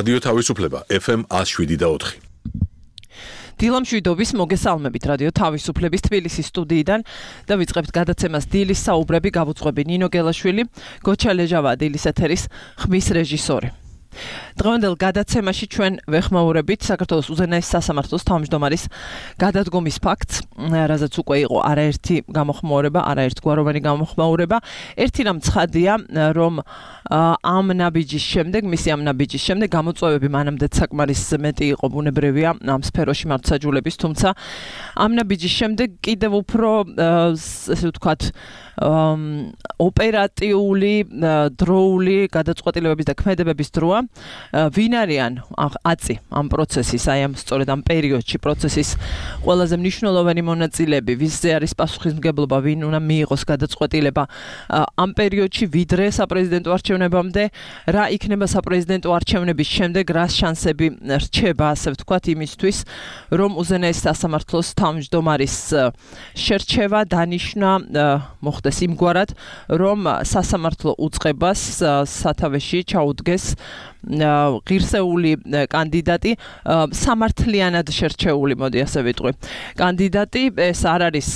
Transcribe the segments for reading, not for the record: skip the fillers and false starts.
რადიო თავისუფლება FM 107.4. დილამშვიდობის მოგესალმებით რადიო თავისუფლების თბილისის სტუდიიდან და ვიწყებთ გადაცემას დილის საუბრები გავუძღვები ნინო გელაშვილი, გოჩა ლეჟავა დილის ეთერის ხმის რეჟისორი. დღევანდელ გადაცემაში ჩვენ ვეხმაურებით საქართველოს უზენაეს სასამართლოს თავმჯდომარის გადადგომის ფაქტს, რაზეც უკვე იყო არაერთი გამოხმაურება, არაერთგვაროვანი გამოხმაურება. ერთი რამ ცხადია, რომ ამ ნაბიჯის შემდეგ, მისი ამ ნაბიჯის შემდეგ გამოწვევები მანამდეც საკმარის მეტი იყო, ბუნებრივია ამ სფეროში მართლმსაჯულების, თუმცა ამ ნაბიჯის შემდეგ კიდევ უფრო ესე ვთქვათ ოპერატიული, დროული გადაწყვეტილებების და ქმედებების დროა. ვინ არიან აწი ამ პროცესის, აი ამ სწორედ ამ პერიოდში პროცესის ყველაზე მნიშვნელოვანი მონაწილეები, ვისზე არის პასუხისმგებლობა, ვინ უნდა მიიღოს გადაწყვეტილება ამ პერიოდში ვიდრე საპრეზიდენტო არჩევნებამდე, რა იქნება საპრეზიდენტო არჩევნების შემდეგ, რა შანსები რჩება, ასე ვთქვათ, იმისთვის, რომ უზენაეს სასამართლოს თავმჯდომარის შერჩევა დანიშნა მოხდეს იმგვარად, რომ სასამართლო უწყებას სათავეში ჩაუდგეს ღირსეული კანდიდატი, სამართლიანად შერჩეული, მოდი ასე ვიტყვი. კანდიდატი, ეს არ არის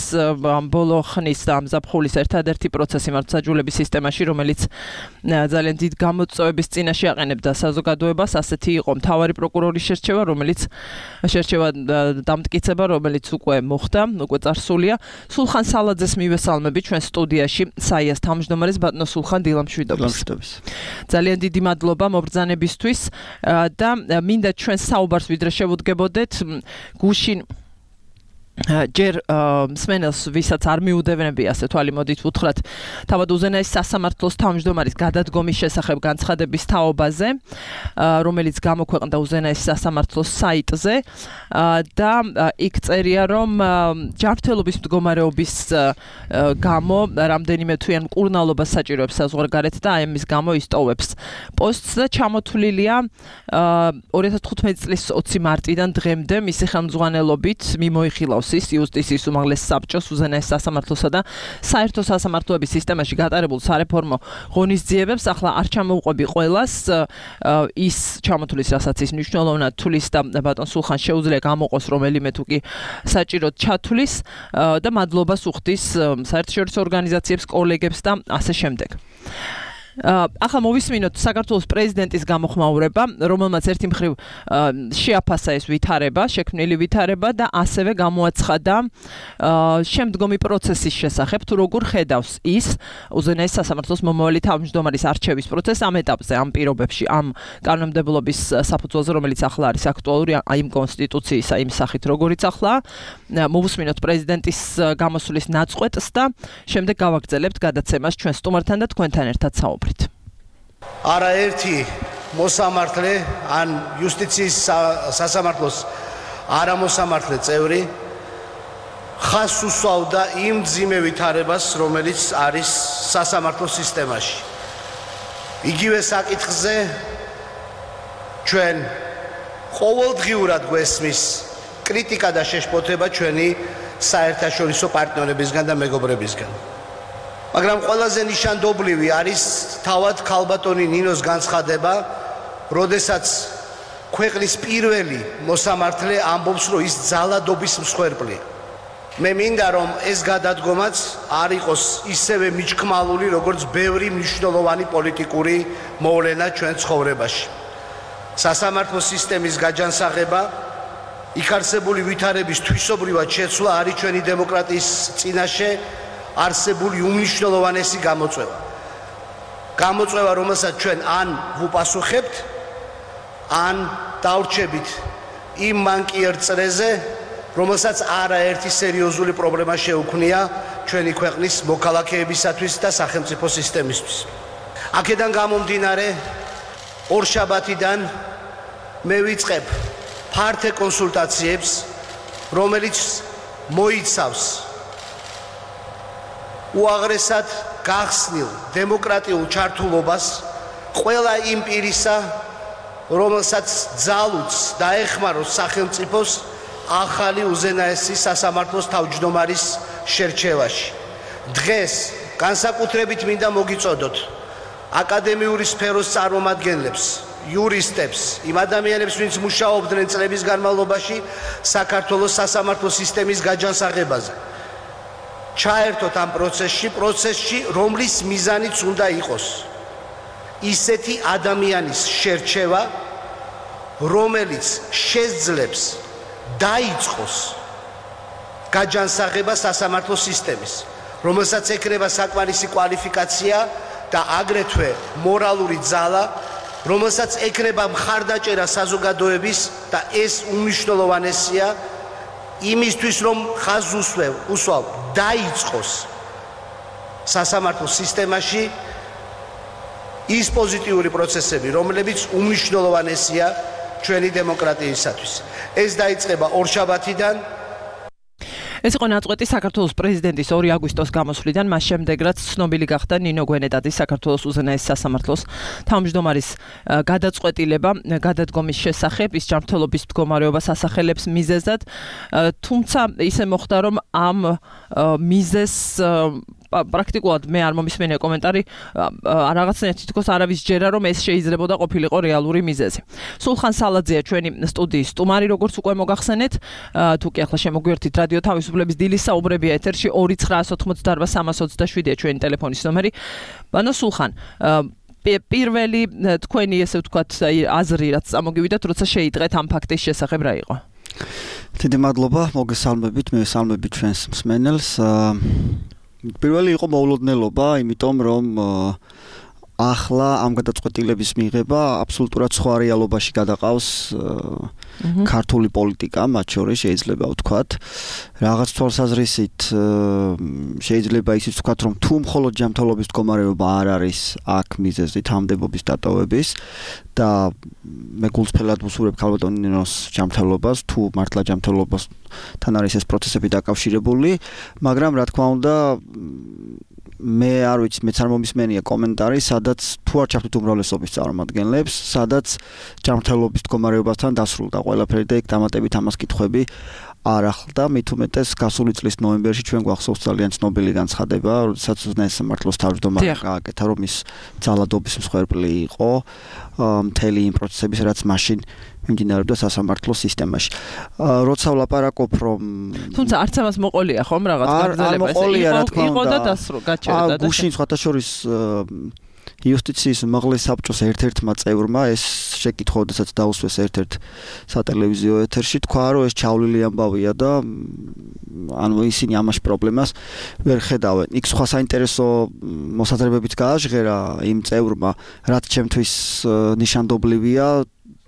ბოლო ხნის და ამ ზაფხულის ერთადერთი პროცესი მართლმსაჯულების სისტემაში, რომელიც ძალიან დიდ გამოწვევების წინაშე აყენებდა საზოგადოებას. ასეთი იყო მთავარი პროკურორის შერჩევა, დამტკიცება, რომელიც უკვე მოხდა, უკვე წარსულია. სულხან სალაძეს მივესალმები ჩვენ სტუდიაში, საიას თავმჯდომარეს ბატონო სულხან, დილამშვიდობის. ძალიან დიდი მადლობა მობრძანებისთვის და მინდა ჩვენ საუბარს ვიდრე შევუდგებოდეთ გუშინ ჯერ მსმენელს, ვისაც არ მიუდევნებია, ასე თვალი მოდით ვუთხრათ, თავად უზენაეს სასამართლოს თავმჯდომარის გადადგომის შესახებ განცხადების თაობაზე, რომელიც გამოქვეყნდა უზენაეს სასამართლოს საიტზე და იქ წერია, რომ ჯანმრთელობის მდგომარეობის გამო რამდენიმე თვიან მკურნალობას საჭიროებს საზღვარგარეთ და ამის გამო ისტოვებს პოსტს და ჩამოთვლილია 2015 წლის 20 მარტიდან დღემდე მისი ხელმძღვანელობით მიმოიხილავს იუსტიციის უმაღლეს საბჭოს უზენაეს სასამართლოსა და საერთო სასამართლოების სისტემაში გატარებულ სარეფორმო ღონისძიებებს. ახლა არ ჩამოვყვები ყველას, ის ჩამოთვლის, რასაც ის მნიშვნელოვნად თulis და ბატონ სულხან შეუძლია გამოყოს რომელიმე თუ კი საჭიროდ ჩათვლის და მადლობას უხდის საერთაშორისო ორგანიზაციებს, კოლეგებს და ასე შემდეგ. ახლა მოვისმინოთ საქართველოს პრეზიდენტის გამოხმაურება, რომელმაც ერთი მხრივ შეაფასა ეს ვითარება, შექმნილი ვითარება და ასევე გამოაცხადა შემდგომი პროცესის შესახებ, თუ როგორ ხედავს ის უზენაეს სასამართლოს მომავალი თავმჯდომარის არჩევის პროცესს ამ ეტაპზე, ამ პირობებში, ამ კანონმდებლობის საფუძველზე, რომელიც ახლა არის აქტუალური, იმ კონსტიტუციისა, იმ სახით, როგორიც ახლა. მოვუსმინოთ პრეზიდენტის გამოსვლის ნაწყვეტს და შემდეგ გავაგრძელებთ გადაცემას ჩვენ სტუმართან და თქვენთან ერთად საუბრით. არაერთი მოსამართლე ან იუსტიციის სასამართლოს არამოსამართლე წევრი ხას უსვავდა იმ მძიმე ვითარებას, რომელიც არის სასამართლო სისტემაში. იგივე საკითხზე ჩვენ ყოველდღიურად გვესმის კრიტიკა და შეშფოთება ჩვენი საერთაშორისო პარტნიორებისგან და მეგობრებისგან. მაგრამ ყველაზე ნიშანდობლივი არის თავად ქალბატონი ნინოს განცხადება, როდესაც ქვეყნის პირველი მოსამართლე ამბობს, რომ ის ძალადობის მსხვერპლია. მე მინდა, რომ ეს გადადგომაც არ იყოს ისევე მიჩქმალული, როგორც ბევრი მნიშვნელოვანი პოლიტიკური მოვლენა ჩვენ ცხოვრებაში. სასამართლო სისტემის გაჯანსაღება, იქ არსებული ვითარების თვისობრივად შეცვლა არის ჩვენი დემოკრატიის წინაშე არსებული უმნიშვნელოვანესი გამოწვევა. გამოწვევა, რომელსაც ჩვენ ან ვუპასუხებთ, ან დავრჩებით იმ მანკიერ წრეზე, რომელსაც არაერთი სერიოზული პრობლემა შეუქმნია ჩვენი ქვეყნის მოქალაქეებისათვის და სახელმწიფო სისტემისთვის. აქედან გამომდინარე, ორშაბათიდან მე ვიწყებ ფართე კონსულტაციებს, რომელიც მოიცავს უაღრესად გახსნილ დემოკრატიულ ჩართულობას ყველა იმ პირისა, რომელსაც ძალუც დაეხმაროს სახელმწიფოს ახალი უზენაესი სასამართლოს თავმჯდომარის შერჩევაში. დღეს განსაკუთრებით მინდა მოგიწოდოთ აკადემიური სფეროს წარმომადგენლებს, იურისტებს, იმ ადამიანებს, ვინც მუშაობდნენ წლების განმავლობაში საქართველოს სასამართლო სისტემის გაჯანსაღებაზე. ჩაერთოთ ამ პროცესში, რომლის მიზანიც უნდა იყოს ისეთი ადამიანის შერჩევა, რომელიც შეძლებს დაიწყოს გაჯანსაღება სასამართლო სისტემის, რომელსაც ეკრება საკმარისი კვალიფიკაცია და აგრეთვე მორალური ძალა, რომელსაც ეკრება მხარდაჭერა საზოგადოების და ეს უმნიშვნელოვანესია იმისთვის, რომ ხაზს უსვავ დაიწყოს სასამართლო სისტემაში ის პოზიტიური პროცესები, რომლებიც უმნიშვნელოვანესია ჩვენი დემოკრატიისათვის. ეს დაიწყება ორშაბათიდან. ეს იყო ნაწყვეტი საქართველოს პრეზიდენტის 2 აგვისტოს გამოსვლიდან, მას შემდეგ რაც ცნობილი გახდა ნინო გვენეტაძის საქართველოს უზენაეს სასამართლოს თავმჯდომარის გადაწყვეტილება გადადგომის შესახებ, ის ჯანმრთელობის მდგომარეობას ასახელებს მიზეზად, თუმცა ისე მოხდა, რომ ამ მიზეზს პრაქტიკულად მე არ მომისმენია კომენტარი, რაღაცნაირად თითქოს არავის ჯერა, რომ ეს შეიძლებოდა ყოფილიყო რეალური მიზეზი. სულხან სალაძეა ჩვენი სტუდიის სტუმარი, როგორც უკვე მოგახსენეთ, თუ კი ახლა შემოგვიერთით რადიო თავისუფლების დილის საუბრებია ეთერში 2988327-ია ჩვენი ტელეფონის ნომერი. ბანო სულხან, პირველი თქვენი ესე ვთქვათ აზრი რაც წამოგივიდათ, როცა შეიტყეთ ამ ფაქტის შესახებ რა იყო? დიდი მადლობა, მოგესალმებით, მე ვესალმები ჩვენს მსმენელს. პირველი იყო მოულოდნელობა, იმიტომ რომ ახლა ამ გადაწყვეტილების მიღება აბსოლუტურად სხვა რეალობაში გადაყავს ქართული პოლიტიკა, მათ შორის შეიძლება ვთქვათ, რაღაც თვალსაზრისით შეიძლება ისიც ვთქვათ, რომ თუ მხოლოდ ჯანმრთელობის მდგომარეობა არ არის აქ მიზეზი თანამდებობის დატოვების და მე გულწრფელად ვუსურვებ ქალბატონ ნინოს ჯანმრთელობას, თუ მართლა ჯანმრთელობასთან არის ეს პროცესები დაკავშირებული, მაგრამ რა თქმა უნდა მე არ ვიცი, მეც არ მომისმენია კომენტარი, სადაც თუ არ ჩავთვით უმრავლესობის წარმომადგენლებს, სადაც ჯანმრთელობის მდგომარეობასთან დასრულდა ყველაფერი და იქ დამატებით ამას კითხვები არ ახლდა, მით უმეტეს გასული წლის ნოემბერში ჩვენ გვახსოვს ძალიან ცნობილი განცხადება, როდესაც უზენაეს სამართლოს თავმჯდომარე გააკეთა, რომ ის ძალადობის მსხვერპლი იყო მთელი იმ პროცესების, რაც მაშინ მიმდინარეობდა სასამართლო სისტემაში. როცა ვლაპარაკობ, რომ თუმცა არც ამას მოყოლია ხომ რაღაც გაგრძელება, იყო და გაჩერდა და გუშინ სხვათა შორის იუსტიციის უმაღლეს საბჭოს ერთ-ერთმა წევრმა ეს შეკითხვა, როდესაც დაუსვეს ერთ-ერთ სატელევიზიო ეთერში, თქვა, რომ ეს ჩავლილი ამბავია და ანუ ისინი ამაში პრობლემას ვერ ხედავენ. იქ სხვა საინტერესო მოსაზრებებიც გააჟღერა იმ წევრმა, რაც ჩემთვის ნიშანდობლივია,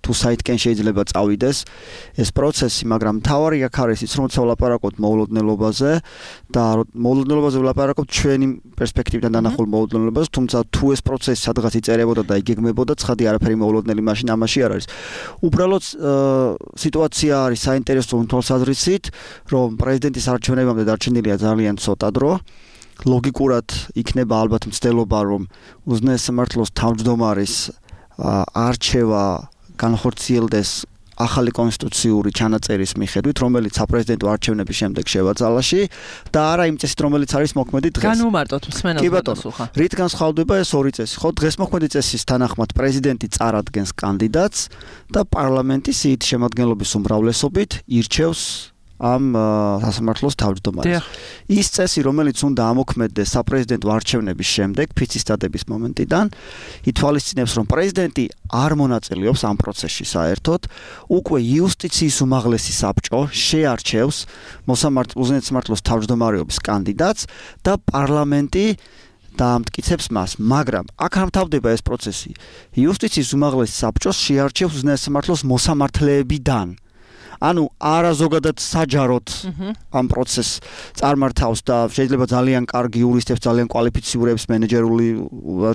თუ საითკენ შეიძლება წავიდეს ეს პროცესი, მაგრამ მთავარი აქ არის ის, რომ ვლაპარაკობთ მოულოდნელობაზე და მოულოდნელობაზე ვლაპარაკობთ ჩვენი პერსპექტივიდან დანახულ მოულოდნელობაზე, თუმცა თუ ეს პროცესი სადღაც იწერებოდა და იგეგმებოდა, ცხადი არაფერი მოულოდნელი მაშინ ამაში არ არის. უბრალოდ სიტუაცია არის საინტერესო თვალსაზრისით, რომ პრეზიდენტის არჩევნებამდე დარჩენილია ძალიან ცოტა დრო. ლოგიკურად იქნება ალბათ მცდელობა, რომ უზენაეს სამართლოს თავმჯდომარის არჩევა განხორციელდეს ახალი კონსტიტუციური ჩანაწერის მიხედვით, რომელიც საპრეზიდენტო არჩევნების შემდეგ შევა ძალაში და არა იმ წესით, რომელიც არის მოქმედი დღეს. განუმარტოთ მსმენელს სულხან. რით განსხვავდება ეს ორი წესი? ხო, დღეს მოქმედი წესის თანახმად პრეზიდენტი წარადგენს კანდიდატს და პარლამენტი სიით შემადგენლობის უმრავლესობით ირჩევს ამ სასამართლოს თავმჯდომარეს. ის წესი, რომელიც უნდა ამოქმედდეს საპრეზიდენტო არჩევნების შემდეგ, ფიცის დადების მომენტიდან, ითვალისწინებს, რომ პრეზიდენტი არ მონაწილეობს ამ პროცესში საერთოდ, უკვე იუსტიციის უმაღლესი საბჭო შეარჩევს უზენაეს სამართლოს თავმჯდომარეობის კანდიდატს და პარლამენტი დაამტკიცებს მას, მაგრამ აქ არ მთავრდება ეს პროცესი. იუსტიციის უმაღლესი საბჭო შეარჩევს უზენაეს სამართლოს მოსამართლეებიდან. ანუ არა ზოგადად საჯაროდ ამ პროცესს წარმართავს და შეიძლება ძალიან კარგი იურისტებს, ძალიან კვალიფიცირებს მენეჯერული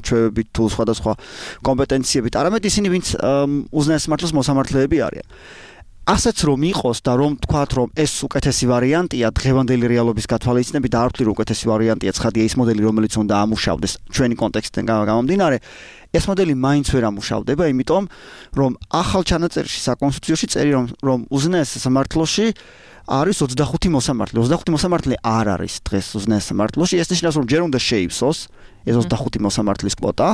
ჩვევებით თუ სხვადასხვა კომპეტენციებით, არამედ ისინი, ვინც უზენაეს სამართლოს მოსამართლეები არიან. ასეც რომ იყოს და რომ თქვათ, რომ ეს უკეთესი ვარიანტია დღევანდელი რეალობის გათვალისწინებით და არ ვთვლი, რომ უკეთესი ვარიანტია ცხადია ის მოდელი, რომელიც უნდა ამუშავდეს ჩვენი კონტექსტიდან გამომდინარე, ეს მოდელი მაინც ვერ ამუშავდება, იმიტომ რომ ახალ ჩანაწერში საკონსტიტუციაში წერია, რომ უზენაეს სამართლოში არის 25 მოსამართლე. 25 მოსამართლე არ არის დღეს უზენაეს სამართლოში. ეს ნიშნავს, რომ ჯერ უნდა შეივსოს ეს 25 მოსამართლის კვოტა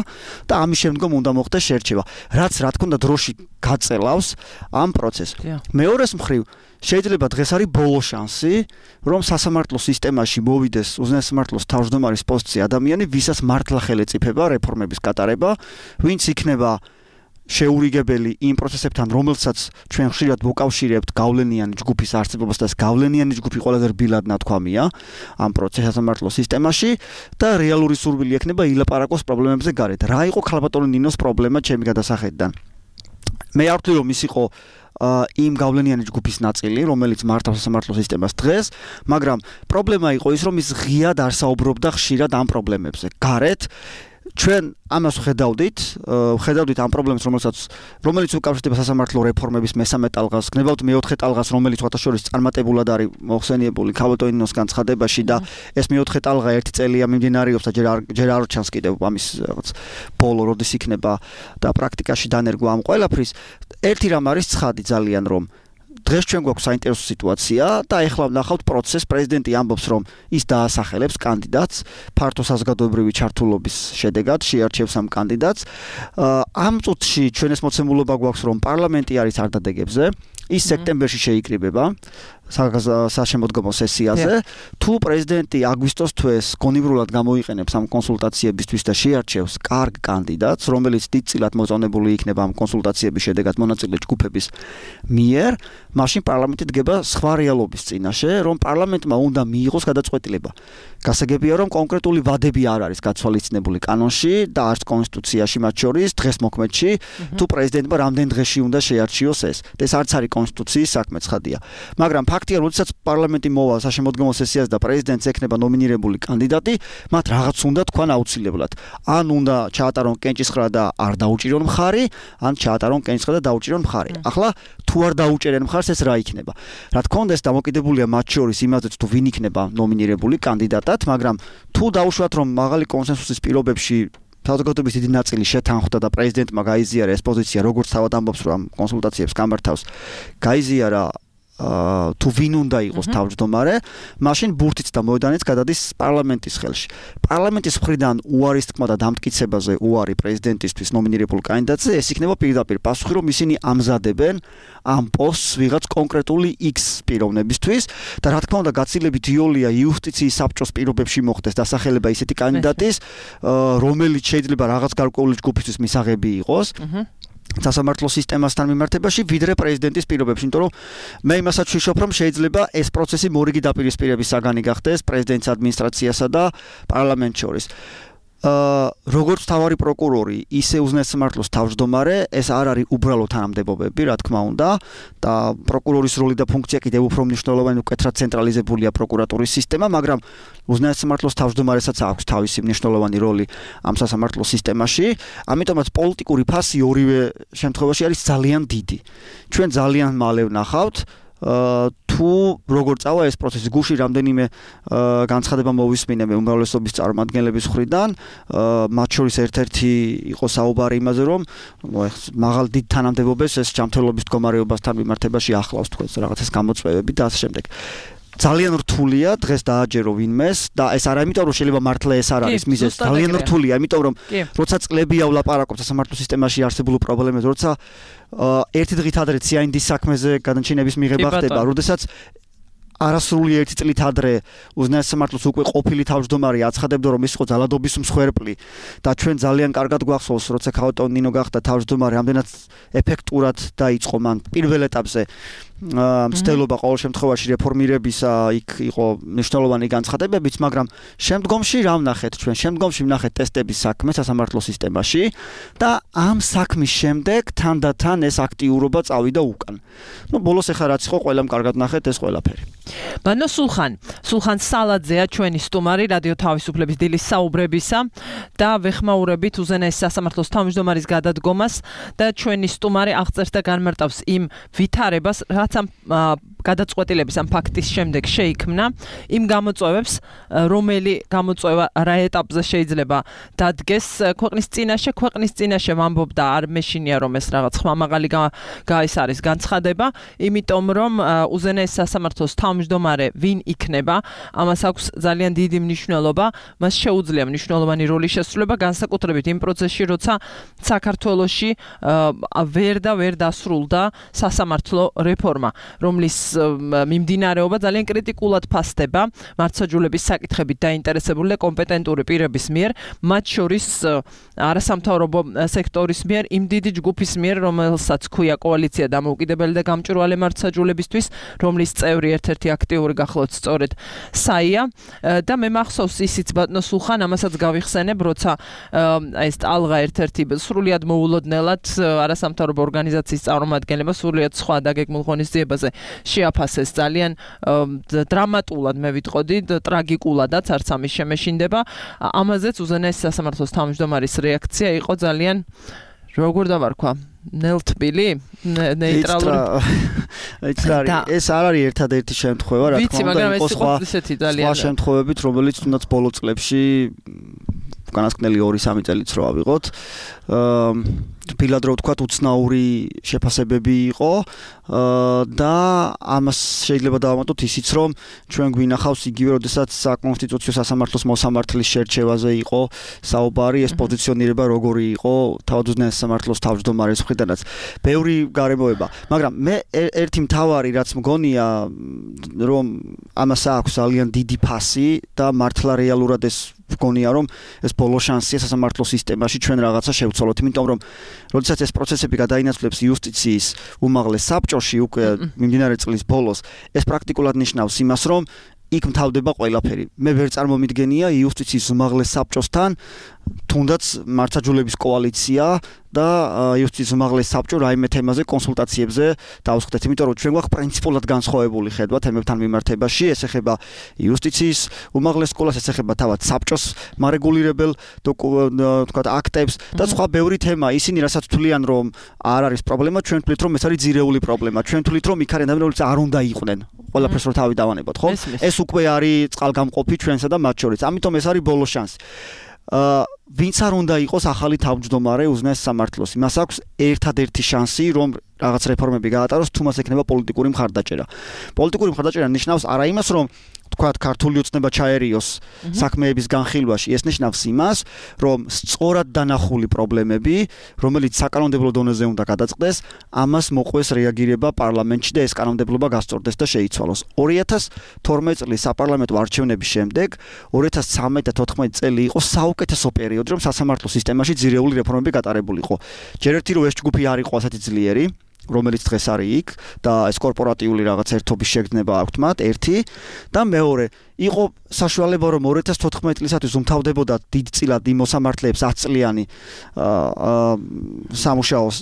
და ამის შემდგომ უნდა მოხდეს შერჩევა. რაც რა თქმა უნდა დროში გაწელავს ამ პროცესს. მეორეს მხრივ შეიძლება დღეს არის ბოლო შანსი, რომ სასამართლო სისტემაში მოვიდეს უზენაეს სამართლოს თავმჯდომარის პოსტზე ადამიანი, ვისაც მართლა ხელი ეწიფება რეფორმების გატარება, ვინც იქნება შეურიგებელი იმ პროცესებთან, რომელსაც ჩვენ ხშირად მოკავშირებთ გავლენიანი ჯგუფის არსებობას და ეს გავლენიანი ჯგუფი ყველაზე რბილად ნათქვამია ამ პროცესის სასამართლო სისტემაში და რეალური სურვილი ექნება ილაპარაკოს პრობლემებზე გარეთ. რა იყო ქალბატონი ნინოს პრობლემა ჩემი გადასახედიდან? მე არ ვთვლი, რომ ის იყო იმ გავლენიანი ჯგუფის ნაწილი, რომელიც მართავს სასამართლო სისტემას დღეს, მაგრამ პრობლემა იყო ის, რომ ის ღიად არ საუბრობდა ხშირად ამ პრობლემებზე. გარეთ ჩვენ ამას ხედავდით ამ პრობლემას, რომელიც უკავშირდება სასამართლო რეფორმების მესამე ტალღას, გნებავთ მეოთხე ტალღას, რომელიც შორის წარმატებულად არის მოხსენიებული ქალბატონინოს განცხადებაში და ეს მეოთხე ტალღა ერთი წელია მიმდინარეობს და ჯერ არ ჩანს კიდევ ამის რაღაც ბოლო როდის იქნება და პრაქტიკაში დანერგვა ამ ყველაფრის. ერთი რამ არის ცხადი ძალიან, რომ დღეს ჩვენ გვაქვს საინტერესო სიტუაცია და ეხლა ვნახავთ პროცესს, პრეზიდენტი ამბობს, რომ ის დაასახელებს კანდიდატს ფართო საზოგადოებრივი ჩართულობის შედეგად, შეარჩევს ამ კანდიდატს. ამ წუთში ჩვენ ეს მოცემულობა გვაქვს, რომ პარლამენტი არის არდადეგებზე, ის სექტემბერში შეიკრიბება საშემოდგომო სესიაზე. თუ პრეზიდენტი აგვისტოს თვეს გონივრულად გამოიყენებს ამ კონსულტაციებისთვის და შეარჩევს კარგ კანდიდატს, რომელიც დიდწილად მოწონებული იქნება ამ კონსულტაციების შედეგად მონაწილე ჯგუფების მიერ, მაშინ პარლამენტი დგება სხვა რეალობის წინაშე, რომ პარლამენტმა უნდა მიიღოს გადაწყვეტილება. გასაგებია, რომ კონკრეტული ვადები არ არის გათვალისწინებული კანონში და არც კონსტიტუციაში მათ შორის დღეს მოქმედში, თუ პრეზიდენტმა რამდენ დღეში უნდა შეარჩიოს ეს. ეს არც არის კონსტიტუციის საქმე, ცხადია. მაგრამ ფაქტია, როდესაც პარლამენტი მოვა საშემოდგომო სესიაზე და პრეზიდენტს ექნება ნომინირებული კანდიდატი, მათ რაღაც უნდა თქვან აუცილებლად. ან უნდა ჩაატარონ კენჭისყრა და არ დაუჭირონ მხარი, ან ჩაატარონ კენჭისყრა და დაუჭირონ მხარი. ახლა თუ არ დაუჭერენ მხარს, ეს რა იქნება? რა თქმა უნდა, ეს დამოკიდებულია მათ შორის იმაზე, თუ ვინ იქნება ნომინირებული კანდიდატად, მაგრამ თუ დაუშვათ, რომ მაღალი კონსენსუსის პირობებში საზოგადოების დიდი ნაწილი შეთანხმდა და პრეზიდენტმა გაიზიარა ეს პოზიცია, როგორც თავად ამბობს, რომ ამ კონსულტაციებს გამართავს, გაიზიარა თუ ვინ უნდა იყოს თავმჯდომარე, მაშინ ბურთიც და მოედანიც გადადის პარლამენტის ხელში. პარლამენტის მხრიდან უარის თქმა და დამტკიცებაზე უარი პრეზიდენტისთვის ნომინირებულ კანდიდატზე, ეს იქნება პირდაპირ პასუხი, რომ ისინი ამზადებენ ამ პოსტს ვიღაც კონკრეტული X პიროვნებისთვის და რა თქმა უნდა გაცილებით იოლია იუსტიციის საბჭოს პირობებში მოხდეს დასახელება ისეთი კანდიდატის, რომელიც შეიძლება რაღაც გარკვეული ჯგუფისთვის მისაღები იყოს. სასამართლო სისტემასთან მიმართებაში ვიდრე პრეზიდენტის პირობებში, იმიტომ რომ მე იმასაც ვიშობ, რომ შეიძლება ეს პროცესი მორიგი დაპირისპირების საგანი გახდეს პრეზიდენტის ადმინისტრაციასა და პარლამენტს შორის. როგორც თავარი პროკურორი, ისე უზენაეს სამართლოს თავმჯდომარე, ეს არ არის უბრალო თანამდებობები, რა თქმა უნდა, და პროკურორის როლი და ფუნქცია კიდევ უფრო მნიშვნელოვანი, უკეთრად ცენტრალიზებულია პროკურატურის სისტემა, მაგრამ უზენაეს სამართლოს თავმჯდომარესაც აქვს თავისი მნიშვნელოვანი როლი ამ სასამართლო სისტემაში, ამიტომაც პოლიტიკური ფასი ორივე შემთხვევაში არის ძალიან დიდი. ჩვენ ძალიან მალე ვნახავთ თუ როგორ წავა ეს პროცესი, გუში რამდენიმე განცხადება მოვისმინე მე უმრავლესობის წარმომადგენლების მხრიდან, მათ შორის ერთ-ერთი იყო საუბარი იმაზე, რომ მაღალ დიდ თანამდებობებს ეს ჯანმრთელობის მდგომარეობასთან მიმართებაში ახლავს თქვენს რაღაცას გამოწვევები და ასე შემდეგ. ძალიან რთულია დღეს დააჯერო ვინმეს და ეს არა იმიტომ რომ შეიძლება მართლა ეს არ არის მიზეზი, ძალიან რთულია, იმიტომ რომ როცა წლებია ვლაპარაკობთ სასამართლო სისტემაში არსებულ პრობლემებზე, როცა ერთი დღით ადრე CIND-ის საქმეზე გადაჩინების მიღება ხდება, როდესაც არასრული ერთი წლით ადრე უზენაეს სამართლოს უკვე ყოფილი თავმჯდომარე აცხადებდა, რომ ის იყო ძალადობის მსხვერპლი და ჩვენ ძალიან კარგად გვახსოვს, როცა ქალბატონი ნინო გახდა თავმჯდომარე, რამდენად ეფექტურად დაიწყო მან პირველ ეტაპზე მცდელობა ყოველ შემთხვევაში რეფორმირებისა, იქ იყო მნიშვნელოვანი განცხადებებიც, მაგრამ შემდგომში რა ვნახეთ ჩვენ? შემდგომში ვნახეთ ტესტების საქმე სასამართლო სისტემაში და ამ საქმის შემდეგ თანდათან ეს აქტიურობა წავიდა უკან. ბოლოს ეხლა რაც იყო, ყველამ კარგად ნახეთ ეს ყველაფერი. ბანო სულხან სალაძეა ჩვენი სტუმარი რადიო თავისუფლების დილის საუბრებისა და ვეხმაურებით უზენაეს სასამართლოს თავმჯდომარის გადადგომას და ჩვენი სტუმარი აღწერს და განმარტავს იმ ვითარებას, რაც ამ გადაწყვეტილების ამ ფაქტის შემდეგ შეიქმნა, იმ გამოწვევებს, რომელი გამოწვევა რა ეტაპზე შეიძლება დადგეს ქვეყნის წინაშე ვამბობდა არ მეშინია რომ ეს რაღაც ხმამაღალი ეს არის განცხადება, იმიტომ რომ უზენაეს სასამართლოს თავმჯდომარე ვინ იქნება, ამას აქვს ძალიან დიდი მნიშვნელობა, მას შეუძლია მნიშვნელოვანი როლის შესრულება, განსაკუთრებით იმ პროცესში, როცა საქართველოში ვერ დასრულდა სასამართლო რეფორმა, რომლის მიმდინარეობა ძალიან კრიტიკულად ფასდება მართლმსაჯულების საკითხებით დაინტერესებული და კომპეტენტური პირების მიერ, მათ შორის არასამთავრობო სექტორის მიერ, იმ დიდი ჯგუფის მიერ, რომელსაც ქვია კოალიცია დამოუკიდებელი და გამჭვირვალე მართლმსაჯულებისთვის, რომლის წევრი ერთ-ერთი აქტიური გახლავთ სწორედ საია და მე მახსოვს ისიც ბატონო სულხან, ამასაც გავიხსენებ, როცა ეს ტალღა ერთ-ერთი სრულიად მოულოდნელად არასამთავრობო ორგანიზაციის წარმომადგენლება სრულიად სხვა დაგეგმულ ღონისძიებაზე შეაფასეს ძალიან დრამატულად, მე ვიტყოდი, ტრაგიკულადაც, არც ამის შემეშინდება. ამაზეც უზენაეს სასამართლოს თავმჯდომარის რეაქცია იყო ძალიან, როგორ დავარქვა, ნელთბილი, ნეიტრალური. ეს არ არის ერთადერთი შემთხვევა, რა თქმა უნდა, იყო სხვა შემთხვევებით, რომელიც თუნდაც ბოლო წლებში განსკნელი 2-3 წელიც რო ავიღოთ. ფილად რო ვთქვათ, უცნაური შეფასებები იყო და ამას შეიძლება დავამატოთ ისიც, რომ ჩვენ გვინახავს იგივე, როდესაც საკონსტიტუციო სასამართლოს მოსამართლის შერჩევაზე იყო საუბარი, ეს პოზიციონირება როგორი იყო თავად უზენაეს სასამართლოს თავმჯდომარის მხრიდანაც. ბევრი გარემოება, მაგრამ მე ერთი მთავარი რაც მგონია, რომ ამას აქვს ძალიან დიდი ფასი და მართლა რეალურად ეს მგონია, რომ ეს ბოლო შანსია სასამართლო სისტემაში ჩვენ რაღაცა შევცვალოთ, იმიტომ რომ როდესაც ეს პროცესები გადაინაცვლებს იუსტიციის უმაღლეს საბჭოში უკვე მიმდინარე წლის ბოლოს, ეს პრაქტიკულად ნიშნავს იმას, რომ იქ მთავრდება ყველაფერი. მე ვერ წარმომიდგენია იუსტიციის უმაღლეს საბჭოსთან თუნდაც მართლმსაჯულების კოალიცია და იუსტიციის უმაღლეს საბჭო რაიმე თემაზე კონსულტაციებზე დავსხდეთ, იმიტომ რომ ჩვენ გვაქვს პრინციპულად განსხვავებული ხედვა თემებთან მიმართებაში, ეს ეხება იუსტიციის უმაღლეს სკოლას, ეს ეხება თავად საბჭოს მარეგულირებელ თქვათ აქტებს და სხვა ბევრი თემა. ისინი რასაც თვლიან, რომ არ არის პრობლემა, ჩვენ თვლით, რომ ეს არის ძირეული პრობლემა. ჩვენ თვლით, რომ იქ არის ადამიანები, არ უნდა იყვნენ. ყველაფერს რო თავი დავანებოთ, ხო? ეს უკვე არის წყალგამყოფი ჩვენსა და მათ შორის. ამიტომ ეს არის ბოლო შანსი. ვინც არ უნდა იყოს ახალი თავმჯდომარე უზენაეს სასამართლოს, იმას აქვს ერთადერთი შანსი, რომ რაღაც რეფორმები გაატაროს, თუ მას ექნება პოლიტიკური მხარდაჭერა. პოლიტიკური მხარდაჭერა ნიშნავს არა იმას, რომ თქვათ ქართული ოცნება ჩაერიოს საქმეების განხილვაში, ეს ნიშნავს იმას, რომ სწორად დანახული პრობლემები, რომელიც საკანონმდებლო დონეზე უნდა გადაწყდეს, ამას მოყვეს რეაგირება პარლამენტში და ეს კანონმდებლობა გასწორდეს და შეიცვალოს. 2012 წლის საპარლამენტო არჩევნების შემდეგ 2013 და 2014 წელი იყო საუკეთესო პერიოდი, რომ სასამართლო სისტემაში ძირეული რეფორმები გატარებულიყო. ჯერ ერთი რომ ეს ჯგუფი არ იყო ასეთი ძლიერი, რომელიც დღეს არის იქ და ეს კორპორატიული რაღაც ერთობის შეგრძნება აქვთ მათ, ერთი და მეორე იყო საშუალება, რომ 2014 წლისათვის უმთავრდებოდა დიდწილად იმ მოსამართლეებს 10 წლიანი სამუშაოს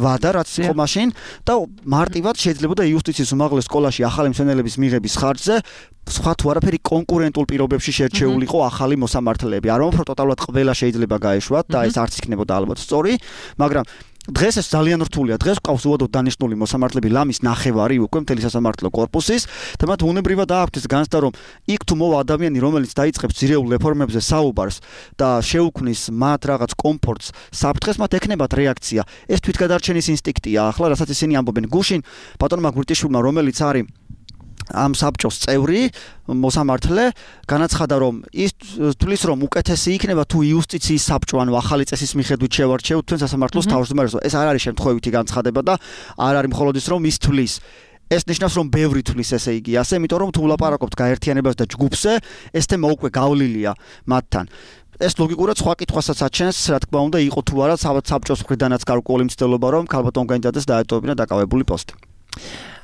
ვადა, რაც იყო მაშინ და მარტივად შეიძლებოდა იუსტიციის უმაღლეს სკოლაში ახალი მცენელების მიღების ხარჯზე სხვა თუ არაფერი კონკურენტულ პირობებში შერჩეულიყო ახალი მოსამართლეები. არ მომფრო ტოტალურად ყველა შეიძლება გაეშვათ და ეს არც იქნებოდა ალბათ სწორი, მაგრამ დღეს ეს ძალიან რთულია. დღეს ყავს უადოდ დანიშნული მოსამართლეები ლამის ნახევარი უკვე მთელი სასამართლო კორპუსის და მათ უნებრივად აქვთ ეს განცდა, რომ იქ თუ მოვა ადამიანი, რომელიც დაიწყებს ძირეულ რეფორმებზე საუბარს და შეუქმნის მათ რაღაც კომფორტს საფრთხეს, მათ ექნებათ რეაქცია. ეს თვითგადარჩენის ინსტინქტია ახლა, რასაც ისინი ამბობენ. გუშინ ბატონმა გვირტიშვილმა, რომელიც არის ამ საბჭოს წევრი მოსამართლე, განაცხადა, რომ ის თulis რომ უკეთესი იქნება თუ იუსტიციის საბჭო, ანუ ახალი წესის მიხედვით შევარჩევთ თქვენ სასამართლოს თავმჯდომარეს. ეს არ არის შემთხვევითი განცხადება და არ არის მხოლოდ ის, რომ ის თulis. ეს ნიშნავს, რომ ბევრი თulis, ესე იგი, ასე, იმიტომ რომ თუ ვლაპარაკობთ გაერთიანებას და ჯგუფზე, ეს თემა უკვე გავლილია მათთან. ეს ლოგიკურად სხვა კითხვასაც აჩენს, რა თქმა უნდა, იყო თუ არა საბჭოს მხრიდანაც გარკვეული მცდელობა, რომ ქალბატონ განჯადეს დაეტოვებინა დაკავებული პოსტი.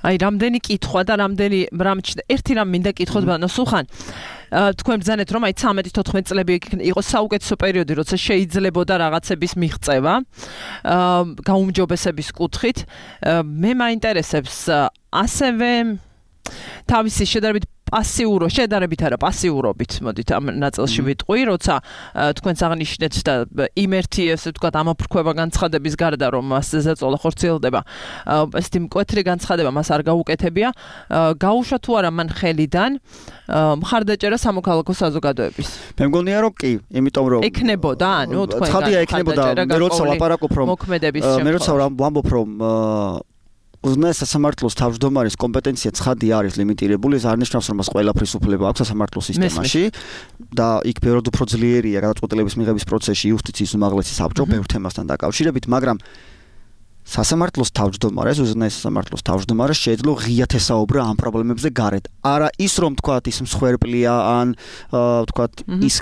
აი, რამდენი კითხვა და რამდენი ერთი რამ მინდა კითხოთ ბანო სულხან. თქვენ ბრძანეთ, რომ აი 13-14 წლები იყო საუკეთესო პერიოდი, როცა შეიძლებოდა რაღაცების მიღწევა გაუმჯობესების კუთხით. მე მაინტერესებს ასევე თავისი შედარებით არა პასიურობით მოდით ამ ნაწილში ვიტყვი, როცა თქვენს აღნიშნეთ და იმერთი ესე ვთქვათ ამოფრქვევა განცხადების გარდა რომ მასზე ზეწოლა ხორციელდება, ესეთი მკვეთრი განცხადება მას არ გაუკეთებია, გაუშვა თუ არა მან ხელიდან მხარდაჭერა სამოქალაქო საზოგადოების. მე მგონია რომ კი, იმიტომ რომ ეკნებოდა, ანუ თქვენ ხადია ეკნებოდა, მე როცა ლაპარაკობ რომ მე როცა ვამბობ რომ უზენაეს სასამართლოს თავმჯდომარის კომპეტენცია ცხადი არის ლიმიტირებული, ეს არ ნიშნავს რომ მას ყველაფრის უფლება აქვს სასამართლოს სისტემაში და იქ ბევრად უფრო ძლიერია გადაწყვეტილების მიღების პროცესში იუსტიციის უმაღლესი საბჭო ბევრ თემასთან დაკავშირებით, მაგრამ სასამართლოს თავმჯდომარეს, უზენაეს სასამართლოს თავმჯდომარეს შეიძლება ღიად ესაუბრა ამ პრობლემებზე გარეთ. არა ის რომ თქვათ ის მსხვერპლია ან თქვათ ის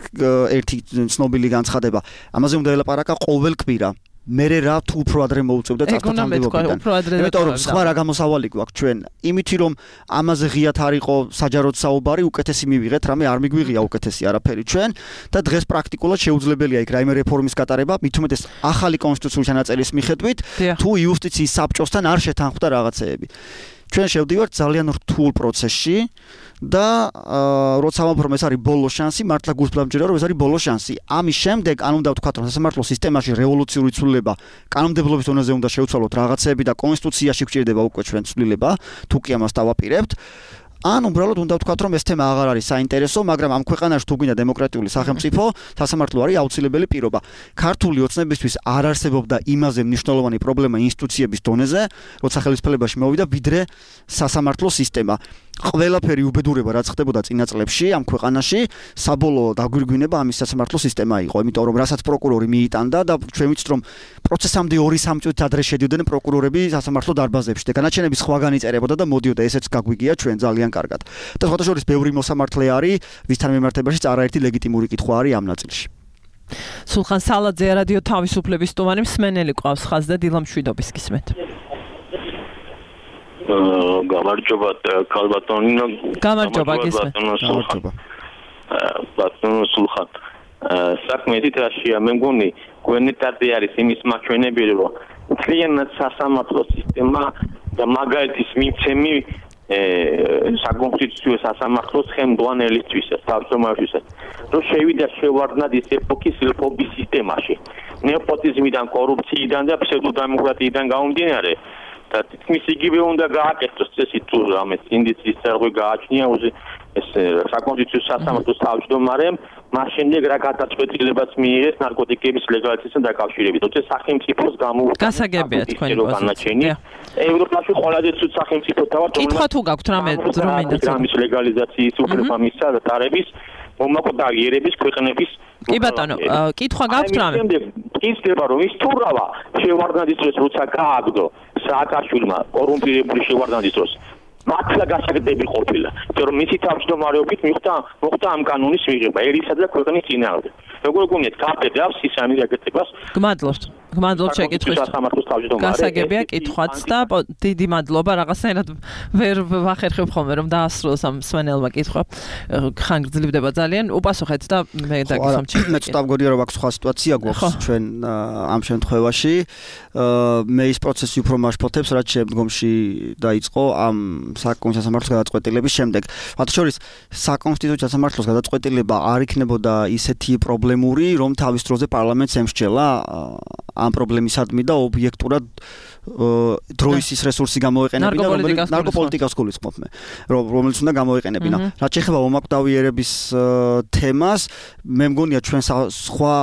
ერთი ცნობილი განცხადება. ამაზე უნდა ელაპარაკა ყოველ კვირა. მერე რა თუ უფრო ადრე მოუწევდა წარსულთანამდებობიდან. იმიტომ რომ სხვა რა გამოსავალი გვაქვს ჩვენ, იმითი რომ ამაზე ღიად არ იყო საჯაროდ საუბარი, უკეთესი მივიღეთ, რამე არ მიგვიღია უკეთესი არაფერი ჩვენ და დღეს პრაქტიკულად შეუძლებელია იქ რაიმე რეფორმის გატარება, მით უმეტეს ახალი კონსტიტუციური ჩანაწერის მიხედვით, თუ იუსტიციის საბჭოსთან არ შეთანხმდა რაღაცეები. ჩვენ შევდივართ ძალიან რთულ პროცესში და როცა ვამბობ ეს არის ბოლო შანსი, მართლა გულს დამჯერა რომ ეს არის ბოლო შანსი. ამის შემდეგ ან უნდა ვთქვათ რომ სასამართლოს სისტემაში რევოლუციური ცვლილება კანონმდებლობის დონეზე უნდა შევცვალოთ რაღაცეები და კონსტიტუციაში გვჭირდება უკვე ჩვენ ცვლილება, თუ კი ამას დავაპირებთ. ან უბრალოდ უნდა ვთქვათ რომ ეს თემა აღარ არის საინტერესო, მაგრამ ამ ქვეყანაში თუ გვინდა დემოკრატიული სახელმწიფო, სასამართლო არის აუცილებელი პირობა. ქართული ოცნებისთვის არ არსებობდა იმაზე მნიშვნელოვანი პრობლემა ინსტიტუციების დონეზე, როცა ხელისუფლებაში მოვიდა, ვიდრე სასამართლო სისტემა. ყველაფერი უბედურება რაც ხდებოდა წინა წლებში ამ ქვეყანაში, საბოლოო დაგვირგვინება ამის სასამართლო სისტემა იყო, იმიტომ რომ რასაც პროკურორი მიიტანდა და ჩვენ ვიცით რომ პროცესამდე 2-3 წუთით ადრე შედიოდნენ პროკურორები სასამართლო დარბაზებში და განაჩენები სხვაგან იწერებოდა და მოდიოდა, ესეც გაგვიგია ჩვენ ძალიან კარგად. და სხვათა შორის ბევრი მოსამართლე არის, ვისთან მიმართებაშიც არაერთი ლეგიტიმური კითხვა არის ამ ნაწილში. სულხან სალაძე რადიო თავისუფლების სტუმარი, მსმენელი ყავს ხაზ და დილა მშვიდობის გისმენთ. გამარჯობა ქალბატონო. გამარჯობა გისმენთ. ბატონო სულხან. საქმე თითაშია, მე მგონი გვენეტარდი არის იმის მაჩვენებელი, რომ მთლიანად სასამართლო სისტემა და მაგალითის მიცემი საკონსტიტუციო სასამართლოს ხელმძღვანელისთვისაც, თავმჯდომარისთვისაც, რომ შევიდა შევარდნად ის ეპოქის ლფობის სისტემაში, ნეოპოტიზმიდან, კორუფციიდან და ფსევდოდემოკრატიიდან გამომდინარე და თითქმის იგივე უნდა გააკეთოს წესი თუ რამე ინდიცის წერყვი გააჩნია ეს საკონსტიტუციო სასამართლოს თავმჯდომარემ, მას შემდეგ რა გადაწყვეტილებაც მიიღეს ნარკოტიკების ლეგალიზაციასთან დაკავშირებით. თორე სახელმწიფოს გამოუცხადა გასაგებია თქვენი პოზიცია. ევროპაში ყველაზე ცუდ სახელმწიფოთა ვართ, კითხვა თუ გაქვთ რამე დრამის ლეგალიზაციის უფლება მისცა და ტარების მომაკვდა იერების ქვეყნების კი ბატონო, კითხვა გაქვთ რამე? ისდება რომ ის თურავა შევარდნადის დროს როცა გააგდო სააკაშვილმა კორუმპირებული შევარდნადის დროს მართლა გასაგდები ყოფილა, რომ მისი თავმჯდომარეობით მოხდა ამ კანონის მიღება ერისა და ქვეყნის წინააღმდეგ. როგორ გქონიათ გაბედავს ის ამის აკეთებას? გმადლობთ შეკითხვით. გასაგებია კითხვაც და დიდი მადლობა, რაღაცნაირად ვერ ვახერხებ ხოლმე რომ დაასრულოს ამ მსმენელმა კითხვა. ხანგრძლივდება ძალიან. უპასუხეთ და მე დაგისვამჩი. მე ცოტა მგონია რომ აქ სხვა სიტუაცია გვაქვს ჩვენ ამ შემთხვევაში. მე ის პროცესი უფრო მაშფოთებს, რაც შემდგომში დაიწყო ამ საკონსტიტუციო სასამართლოს გადაწყვეტილების შემდეგ. მათ შორის საკონსტიტუციო სასამართლოს გადაწყვეტილება არ იქნებოდა ისეთი პრობლემური, რომ თავის დროზე პარლამენტს ემსჯელა ამ პრობლემისადმი და ობიექტურად დროის რესურსი გამოეყენებინა, რომელიც ნარკოპოლიტიკას გულისხმობ მე, რომელიც უნდა გამოეყენებინა. რაც შეეხება ომაკვდავიერების თემას, მე მგონია ჩვენ სხვა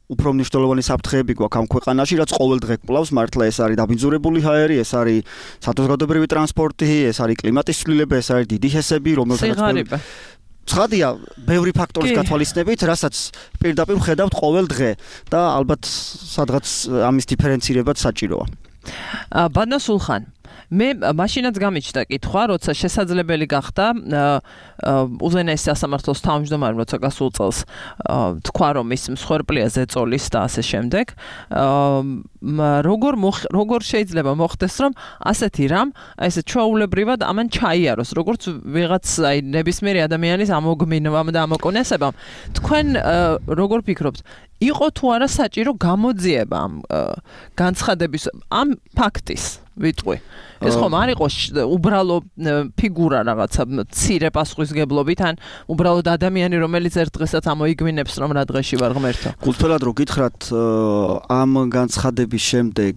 უფრო მნიშვნელოვანი საფრთხეები გვაქვს ამ ქვეყანაში, რაც ყოველ დღე კვლავს, მართლა ეს არის დაბინძურებული ჰაერი, ეს არის სადაზღვევებრივი ტრანსპორტი, ეს არის კლიმატის ცვლილება, ეს არის დიდი ჰესები, რომელთაც ცხადია, ბევრი ფაქტორის გათვალისწინებით, რასაც პირდაპირ ვხედავთ ყოველ დღე და ალბათ სადღაც ამის დიფერენცირებაც საჭიროა. ბატონო სულხან, მე მაშინაც გამიჩნდა კითხვა, როცა შესაძლებელი გახდა უზენაეს სასამართლოს თავმჯდომარემ, როცა გასულ წელს თქვა, რომ ის მსხვერპლია ზეწოლის და ასე შემდეგ, როგორ შეიძლება მოხდეს, რომ ასეთი რამ, ესე ჩვეულებრივად ამან ჩაიაროს, როგორც ვიღაც აი ნებისმიერი ადამიანის ამოგმინვამ და ამოკონესებამ. თქვენ როგორ ფიქრობთ, იყო თუ არა საჭირო გამოძიება ამ განცხადების, ამ ფაქტის ვიტყვი. ეს ხომ არ იყოს უბრალო ფიგურა რაღაცა მცირე პასუხისგებლობით ან უბრალოდ ადამიანი რომელიც ერთ დღესაც ამოიგვინებს რომ რა დღეში ვარ ღმერთო. გულწრფელად რო გითხრათ ამ განცხადების შემდეგ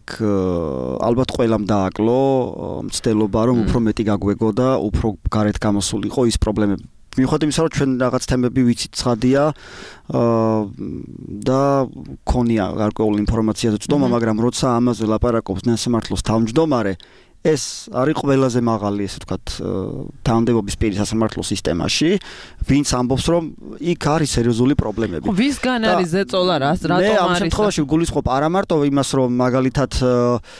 ალბათ ყველამ დააკლო მცდელობა რომ უფრო მეტი გაგვეგო და უფრო გარეთ გამოსულიყო ის პრობლემები. მიუხედავად იმისა, რომ ჩვენ რაღაც თემები ვიცით ცხადია და ქონია გარკვეული ინფორმაციაზე წვდომა, მაგრამ როცა ამაზე ლაპარაკობს ნასამართლოს თავმჯდომარე, ეს არის ყველაზე მაღალი, ესე ვთქვათ, თანამდებობის პირი სასამართლო სისტემაში, ვინც ამბობს, რომ იქ არის სერიოზული პრობლემები. ვისგან არის ზეწოლა რატომ არის? მე ამ შემთხვევაში გულისხმობ არა მარტო იმას, რომ მაგალითად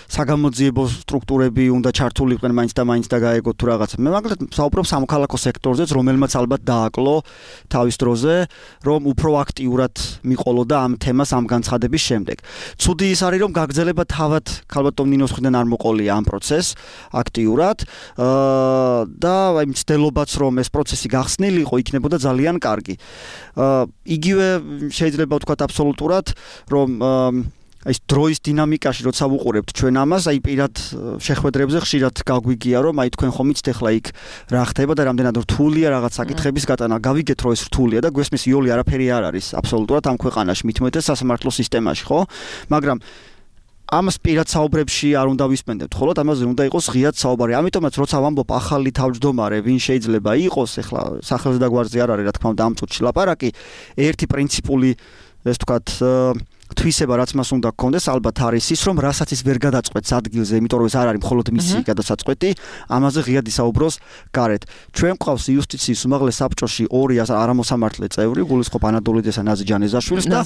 საგამოძიებო სტრუქტურები უნდა ჩართულიყვნენ მაინც და გაეგოთ თუ რაღაცა. მე მაგალითად საუბრობ სამოქალაქო სექტორზეც, რომელმაც ალბათ დააკლო თავის დროზე, რომ უფრო აქტიურად მიყოლოდა ამ თემას ამ განცხადების შემდეგ. ცუდი ის არის, რომ გაგრძელება თავად ქალბატონ ნინოს მხრიდან არ მოყოლია ამ პროცესს აქტიურად და აი მცდელობაც რომ ეს პროცესი გახსნილიყო იქნებოდა ძალიან კარგი. იგივე შეიძლება ვთქვათ აბსოლუტურად რომ აი დროის დინამიკაში როცა ვუყურებთ ჩვენ ამას აი პირად შეხვედრებზე ხშირად გაგვიგია რომ აი თქვენ ხომ იცით ახლა იქ რა ხდება და რამდენად რთულია რაღაც საკითხების გატანა. გავიგეთ რომ ეს რთულია და გვესმის იოლი არაფერი არ არის აბსოლუტურად ამ ქვეყანაში მithumetes სასამართლო სისტემაში ხო? მაგრამ ამას პირად საუბრებში არ უნდა ვისმენდეთ, ხოლო ამაზე უნდა იყოს ღიად საუბარი. ამიტომაც როცა ვამბობ ახალი თავმჯდომარე, ვინ შეიძლება იყოს, ახლა სახელზე და გვარზე არ არის, რა თქმა უნდა, ამ წუთში ლაპარაკი, ერთი პრინციპული, ეს ვთქვათ, თვისება რაც მას უნდა გქონდეს, ალბათ არის ის, რომ რასაც ის ვერ გადაწყვეტს ადგილზე, იმიტომ რომ ეს არ არის მხოლოდ მისი გადასაწყვეტი, ამაზე ღიად ისაუბროს გარეთ. ჩვენ გვყავს იუსტიციის უმაღლეს საბჭოში 2 არამოსამართლე წევრი, გულისხმობ ანადოლიძეს და ნაზი ჯანეზაშვილს და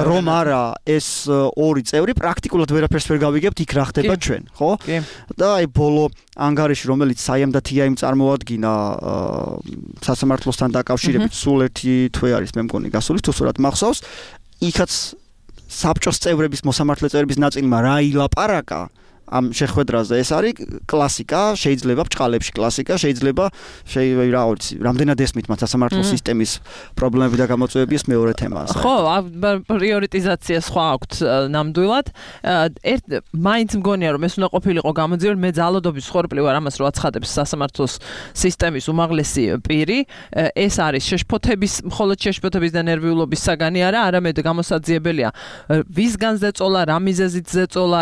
რომ არა ეს 2 წევრი პრაქტიკულად ვერაფერს ვერ გავიგებთ იქ რა ხდება ჩვენ, ხო? და აი ბოლო ანგარიში, რომელიც საიმ და თიაიმ წარმოადგინა სასამართლოსთან დაკავშირებით სულ ერთი თვე არის მე მგონი გასული, თუ სწორად მახსოვს. იქაც საბჭოს წევრების მოსამართლე წევრების ნაწილმა რა ილაპარაკა ამ შეხვედრაზე ეს არის კლასიკა, შეიძლება ბჭყალებში კლასიკა, შეიძლება რა ვიცი, რამდენად ესმით მათ სასამართლო სისტემის პრობლემები და გამოწვევები ეს მეორე თემაა. ხო, პრიორიტიზაცია სხვა აქვთ ნამდვილად. მაინც მგონია რომ ეს უნდა ყოფილიყო გამოძიებული, მე ძალადობის ხორბლი ვარ ამას რო აცხადებს სასამართლოს სისტემის უმაღლესი პირი. ეს არის შეშფოთების, მხოლოდ შეშფოთების და ნერვიულობის საგანი არა, არამედ გამოსაძიებელია. ვისგან ზეწოლა, რა მიზეზით ზეწოლა,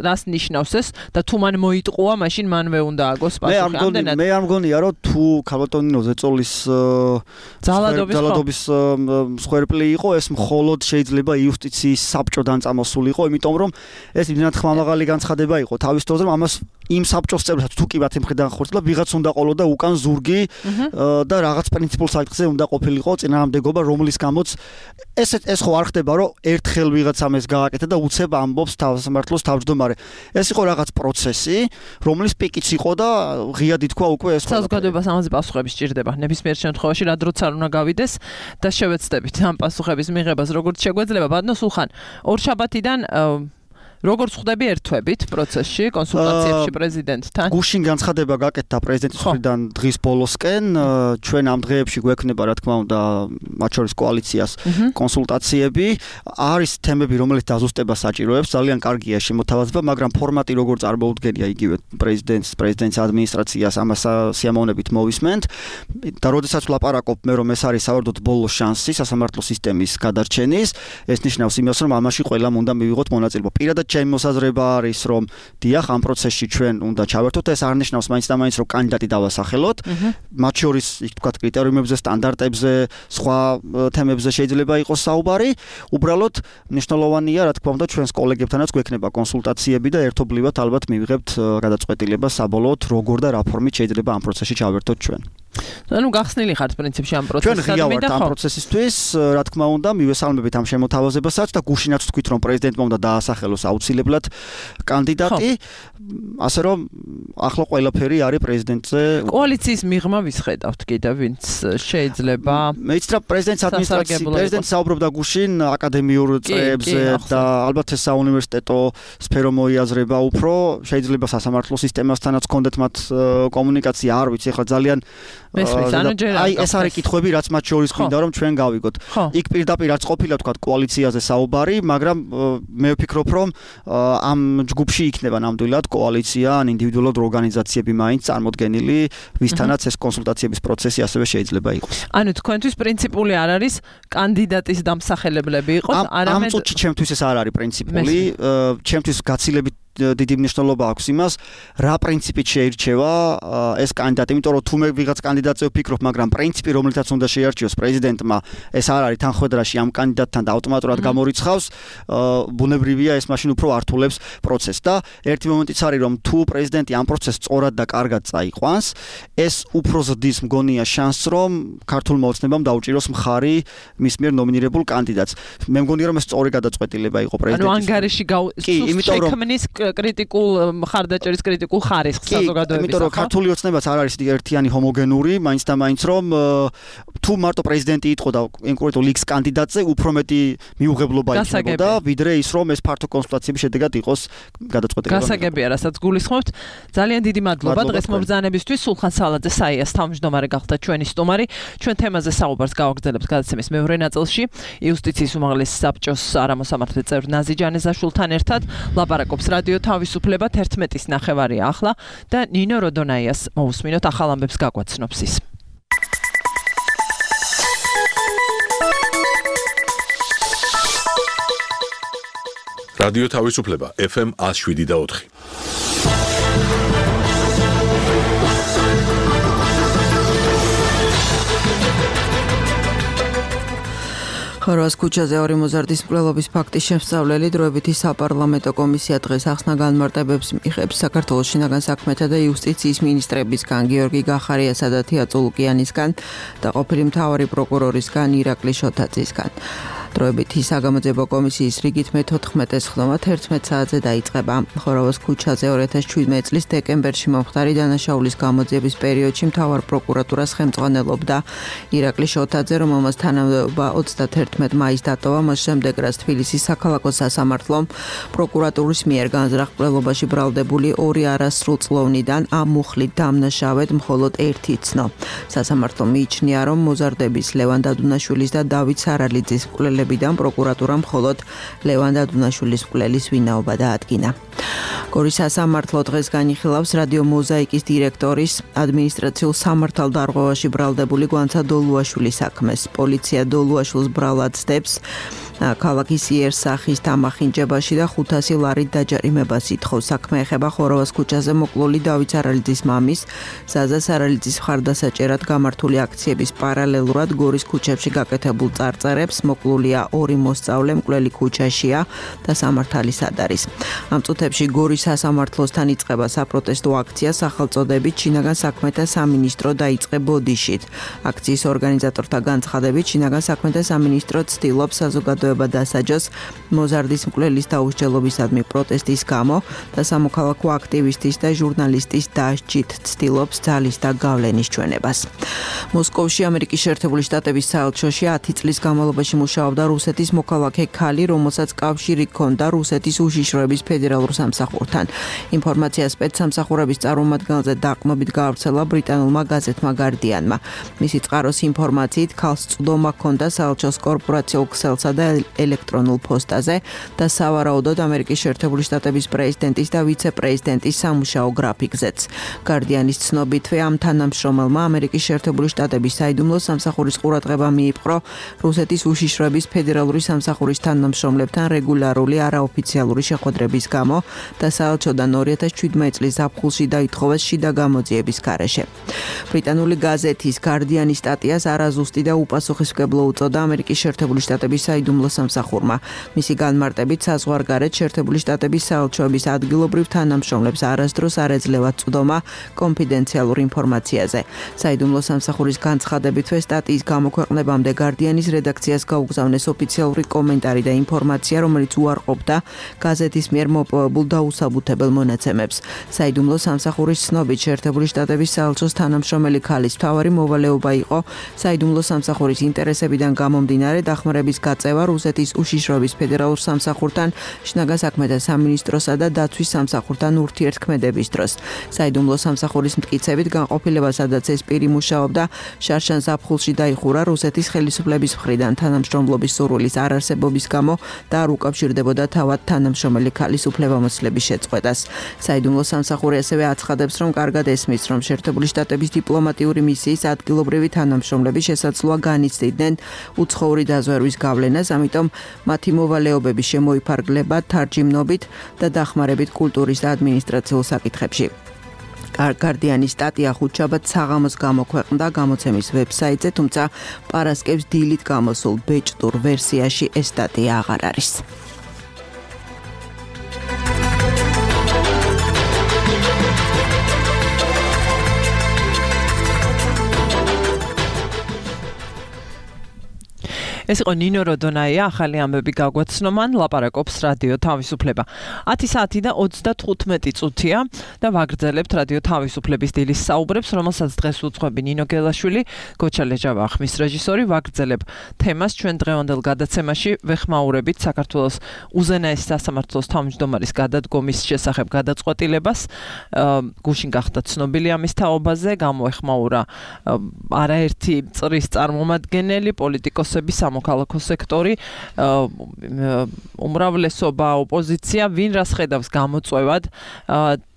რას ნიშნავს ეს და თუ მან მოიტყუა, მაშინ მანვე უნდა აგოს პასუხი. მე არ მგონია რომ თუ ქალბატონინო ზეწოლის ძალადობის მსხვერპლი იყო, ეს მხოლოდ შეიძლება იუსტიციის საბჭოდან წამოსულიყო, იმიტომ რომ ეს იმდენად ხმამაღალი განცხადება იყო თავის დროზე, რომ ამას იმ საბჭოს წევრებსაც თუ კი მათ იმხდან ხორცლა ვიღაც უნდა ყოლოდა უკან ზურგი და რაღაც პრინციპულ საკითხზე უნდა ყოფილიყო წინააღმდეგობა, რომლის გამოც ეს ხო არ ხდება, რომ ერთხელ ვიღაცამ ეს გააკეთა და უცებ ამბობს სასამართლოს თავმჯდომარე. ეს იყო რაღაც პროცესი, რომლის პიკიც იყო და ღიად ითქვა უკვე ეს. საზოგადოებას ამაზე პასუხები სჭირდება. ნებისმიერ შემთხვევაში რა დროც არ უნდა გავიდეს და შევეცდებით ამ პასუხების მიღებას, როგორც შეგვეძლება. ბატონო სულხან, ორშაბათიდან როგორც ხვდები ერთვებით პროცესში, კონსულტაციებში პრეზიდენტთან? გუშინ განცხადება გაკეთდა პრეზიდენტის მხრიდან დღის ბოლოსკენ, ჩვენ ამ დღეებში გვექნება, რა თქმა უნდა, მათ შორის კოალიციას კონსულტაციები. არის თემები, რომელიც დაზუსტება საჭიროებს, ძალიან კარგია შემოთავაზება, მაგრამ ფორმატი როგორ წარმოუდგენია იგივე პრეზიდენტის ადმინისტრაციას ამას სიამოვნებით მოვისმენთ. და როდესაც ვლაპარაკობ მე რომ ეს არის საერთოდ ბოლო შანსი სასამართლო სისტემის გადარჩენის, ეს ნიშნავს იმას, რომ ამაში ყველამ უნდა მივიღოთ მონაწილეობა. პირადად ჩემი მოსაზრება არის, რომ დიახ, ამ პროცესში ჩვენ უნდა ჩავერთოთ, ეს არ ნიშნავს მაინც და მაინც, რომ კანდიდატი დავასახელოთ. მათ შორის, იქ თქვა კრიტერიუმებზე, სტანდარტებზე, სხვა თემებზე შეიძლება იყოს საუბარი. უბრალოდ მნიშვნელოვანია, რა თქმა უნდა, ჩვენს კოლეგებთანაც გვექნება კონსულტაციები და ერთობლივად ალბათ მივიღებთ გადაწყვეტილება საბოლოოდ, როგორ და რა ფორმით შეიძლება ამ პროცესში ჩავერთოთ ჩვენ. ანუ გახსნილი ხართ პრინციპში ამ პროცესში. ჩვენ ღია ვართ ამ პროცესისთვის, რა თქმა უნდა, მივესალმებით ამ შემოთავაზებასაც და გუშინაც თქვით, რომ პრეზიდენტმა უნდა დაასახელოს აუცილებლად კანდიდატი, ასე რომ ახლა ყველაფერი არის პრეზიდენტზე. კოალიციის მიღმა ვისხედავთ კიდევ, ვინც შეიძლება. მეც რა პრეზიდენტის ადმინისტრაციის პრეზიდენტი საუბრობდა გუშინ აკადემიურ წრეებზე და ალბათ ეს საუნივერსიტეტო სფერო მოიაზრება უფრო, შეიძლება სასამართლო სისტემასთანაც კონდეთ მათ კომუნიკაცია, არ ვიცი, ახლა ძალიან აი ეს არის კითხვები, რაც მათ შორის გვინდა რომ ჩვენ გავიგოთ. იქ პირდაპირ არც ყოფილა თქვა კოალიციაზე საუბარი, მაგრამ მე ვფიქრობ რომ ამ ჯგუფში იქნება ნამდვილად კოალიცია ან ინდივიდუალურად ორგანიზაციები მაინც წარმოდგენილი, ვისთანაც ეს კონსულტაციების პროცესი ასევე შეიძლება იყოს. ანუ თქვენთვის პრინციპული არ არის კანდიდატის დამსახელებლები იყოს, არამედ ამ წუთში ჩემთვის ეს არ არის პრინციპული, ჩემთვის გაცილებით დიდი მნიშვნელობა აქვს იმას, რა პრინციპით შეირჩევა ეს კანდიდატი, იმიტომ რომ თუ მე ვიღაც კანდიდატზე ვფიქრობ, მაგრამ პრინციპი, რომლითაც უნდა შეარჩიოს პრეზიდენტმა, ეს არ არის თანხმედრაში ამ კანდიდატთან და ავტომატურად გამორიცხავს, ბუნებრივია ეს მაშინ უფრო ართულებს პროცესს და ერთი მომენტიც არის, რომ თუ პრეზიდენტი ამ პროცესს სწორად და კარგად წაიყვანს, ეს უფრო ზრდის მგონია შანსს, რომ ქართულმა ოცნებამ დაუჭიროს მხარი მის მიერ ნომინირებულ კანდიდატს. მე მგონია, რომ ეს სწორი გადაწყვეტილება იყო პრეზიდენტის. ანუ ანგარიში შექმნის კრიტიკულ მხარდაჭერის კრიტიკულ ხარისხს საზოგადოებისა. იმიტომ რომ ქართული ოცნებაც არ არის ერთიანი ჰომოგენური, მაინც და მაინც რომ თუ მარტო პრეზიდენტი იტყო და კონკრეტულ X კანდიდატზე უფრო მეტი მიუღებლობა იქნებოდა, ვიდრე ის რომ ეს ფართო კონსულტაციების შედეგად იყოს გადაწყვეტილება. გასაგებია, რასაც გულისხმობთ. ძალიან დიდი მადლობა დღეს მობრძანებისთვის. სულხან სალაძე საიას თავმჯდომარე გახდა ჩვენი სტუმარი. ჩვენ თემაზე საუბარს გავაგრძელებთ გადაცემის მეორე ნაწილში. იუსტიციის უმაღლესი საბჭოს არამოსამართლე წევრ ნაზი ჯანეზაშვილთან ერთად ლაპარაკობს რადიო თავისუფლება 11:09 ახლა და ნინო როდონაიას მოусმინოთ ახალ ამბებს გაგვაცნობს ის. რადიო თავისუფლება FM 107.4. ხარვას ქუჩაზე ორი მოზარდის მკვლელობის ფაქტის შემსწავლელი დროებითი საპარლამენტო კომისია დღეს ახსნა განმარტებებს მიიღებს საქართველოს შინაგან საქმეთა და იუსტიციის მინისტრებისგან გიორგი გახარიასა და თია წულუკიანისგან და ყოფილი მთავარი პროკურორისგან ირაკლი შოთაძისგან. დროებითი საგამოძიებო კომისიის რიგით მე-14 ხდომა 11 საათზე დაიწყება. ხარვას ქუჩაზე 2017 წლის დეკემბერში მომხდარი დანაშაულის გამოძიების პერიოდში მთავარ პროკურატურას ხელმძღვანელობდა ირაკლი შოთაძე, რომელმაც თანამდებობა 31 მაისს დატოვა, მას შემდეგ რაც თბილისის საქალაქო სასამართლომ პროკურატურის მიერ განზრახ მკვლელობაში ბრალდებული ორი არასრულწლოვნიდან ამ მუხლით დამნაშავედ მხოლოდ ერთი ცნო. სასამართლო მიიჩნია, რომ მოზარდების ლევან დადუნაშვილის და დავით სარალიძის მკვლელებიდან პროკურატურამ მხოლოდ ლევან დადუნაშვილის მკვლელის ვინაობა დაადგინა. გორის სასამართლო დღეს განიხილავს რადიო მოზაიკის დირექტორის ადმინისტრაციულ სამართალდარღვევაში ბრალდებული გვანცა დოლუაშვილის საქმეს. პოლიცია დოლუაშვილს ბრალად ცდებს ქალაქის იერსახის თამახინჯებაში და 500 ლარით დაჯარიმებას ითხოვს. საქმე ეხება ხოროვას ქუჩაზე მოკლული დავით სარალიძის მამის, ზაზა სარალიძის მხარდასაჭერად გამართული აქციების პარალელურად გორის ქუჩებში გაკეთებულ წარწერებს. მოკლულია ორი მოსწავლე, მკვლელი ქუჩაშია და სამართალის ადარის. ამ წუთებში გორის სასამართლოსთან იწყება საპროტესტო აქცია სახელწოდებით შინაგან საქმეთა სამინისტრო დაიწყე ბოდიშით. აქციის ორგანიზატორთა განცხადებით შინაგან საქმეთა სამინისტრო ცდილობს საზოგადოებას დასაჯოს მოზარდის მკვლელის დაუსჯელობისადმი პროტესტის გამო და სამოქალაქო აქტივისტის და ჟურნალისტის დასჯით ცდილობს ძალის და გავლენის ჩვენებას. მოსკოვში ამერიკის შეერთებული შტატების საელჩოში 10 წლის განმავლობაში მუშაობდა რუსეთის მოქალაქე ქალი, რომელსაც კავშირი ჰქონდა რუსეთის უშიშროების ფედერალურ სამსახურთან. ინფორმაცია სპეცსამსახურების წარმომადგენელზე დაყრდნობით გაავრცელა ბრიტანულმა გაზეთმა Guardian-მა. მისი წყაროს ინფორმაციით ქალს წვდომა ჰქონდა საელჩოს კორპორაციულ ქსელსა და ელექტრონულ პოსტაზე და სავარაუდოდ ამერიკის შეერთებული შტატების პრეზიდენტის და ვიცე-პრეზიდენტის სამუშაო გრაფიკზეც. Guardian-ის ცნობითვე ამ თანამშრომელმა ამერიკის შეერთებული შტატების საიდუმლო სამსახურის ყურადღება მიიპყრო რუსეთის უშიშროების ფედერალური სამსახურის თანამშრომლებთან რეგულარული არაოფიციალური შეხვედრების გამო და საელჩოდან 2017 წლის ზაფხულში დაითხოვეს შიდა გამოძიების გარეშე. ბრიტანული გაზეთის Guardian-ის სტატიას არაზუსტი და უპასუხისმგებლო უწოდა ამერიკის შეერთებული შტატების საიდუმლო სამსახურმა. მისი განმარტებით საზღვარგარეთ შეერთებული შტატების საელჩოების ადგილობრივ თანამშრომლებს არასდროს არ ეძლევათ წვდომა კონფიდენციალურ ინფორმაციაზე. საიდუმლო სამსახურის განცხადებითვე სტატიის გამოქვეყნებამდე Guardian-ის რედაქციას გაუგზავნეს ოფიციალური კომენტარი და ინფორმაცია, რომელიც უარყოფდა გაზეთის მიერ მოპოვებულ დაუსაბუთებელ მონაცემებს. საიდუმლო სამსახურის ცნობით შეერთებული შტატების საელჩოს თანამშრომელი ქალის მთავარი მოვალეობა იყო საიდუმლო სამსახურის ინტერესებიდან გამომდინარე დახმარების გაწევა რუსეთის უშიშროების ფედერალურ სამსახურთან, შინაგან საქმეთა სამინისტროსა და დაცვის სამსახურთან ურთიერთქმედების დროს. საიდუმლო სამსახურის მტკიცებით განყოფილება, სადაც ეს პირი მუშაობდა, შარშან ზაფხულში დაიხურა რუსეთის ხელისუფლების მხრიდან თანამშრომლობის სურვილის არარსებობის გამო და არ უკავშირდებოდა თავად თანამშრომელი ქალის უფლებამოსილების შეწყვეტას. საიდუმლო სამსახური ასევე აცხადებს, რომ კარგად ესმის, რომ შეერთებული შტატების დიპლომატიური მისიის ადგილობრივი თანამშრომლები შესაძლოა განიცდიდნენ უცხოური დაზვერვის გავლენას, ამიტომ მათი მოვალეობების შემოიფარგლება თარჯიმნობით და დახმარებით კულტურის და ადმინისტრაციულ საკითხებში. Guardian-ის სტატია ხუთშაბათ საღამოს გამოქვეყნდა გამოცემის ვებსაიტზე, თუმცა პარასკევს დილით გამოსულ ბეჭდურ ვერსიაში ეს სტატია აღარ არის. ეს იყო ნინო როდონაია, ახალი ამბები გაგვაცნომან, ლაპარაკობს რადიო თავისუფლება. 10 საათი და 35 წუთია და ვაგრძელებთ რადიო თავისუფლების დილის საუბრებს, რომელსაც დღეს უძღვები ნინო გელაშვილი, გოჩა ლეჯავა ხმის რეჟისორი. ვაგრძელებ თემას ჩვენ დღევანდელ გადაცემაში ვეხმაურებით საქართველოს უზენაეს სასამართლოს თავმჯდომარის გადადგომის შესახებ გადაწყვეტილებას. გუშინ გახდა ცნობილი ამის თაობაზე, გამოეხმაურა არაერთი წრის წარმომადგენელი, პოლიტიკოსები, მოქალაქო სექტორი, უმრავლესობა ოპოზიცია, ვინ რას ხედავს გამოწვევად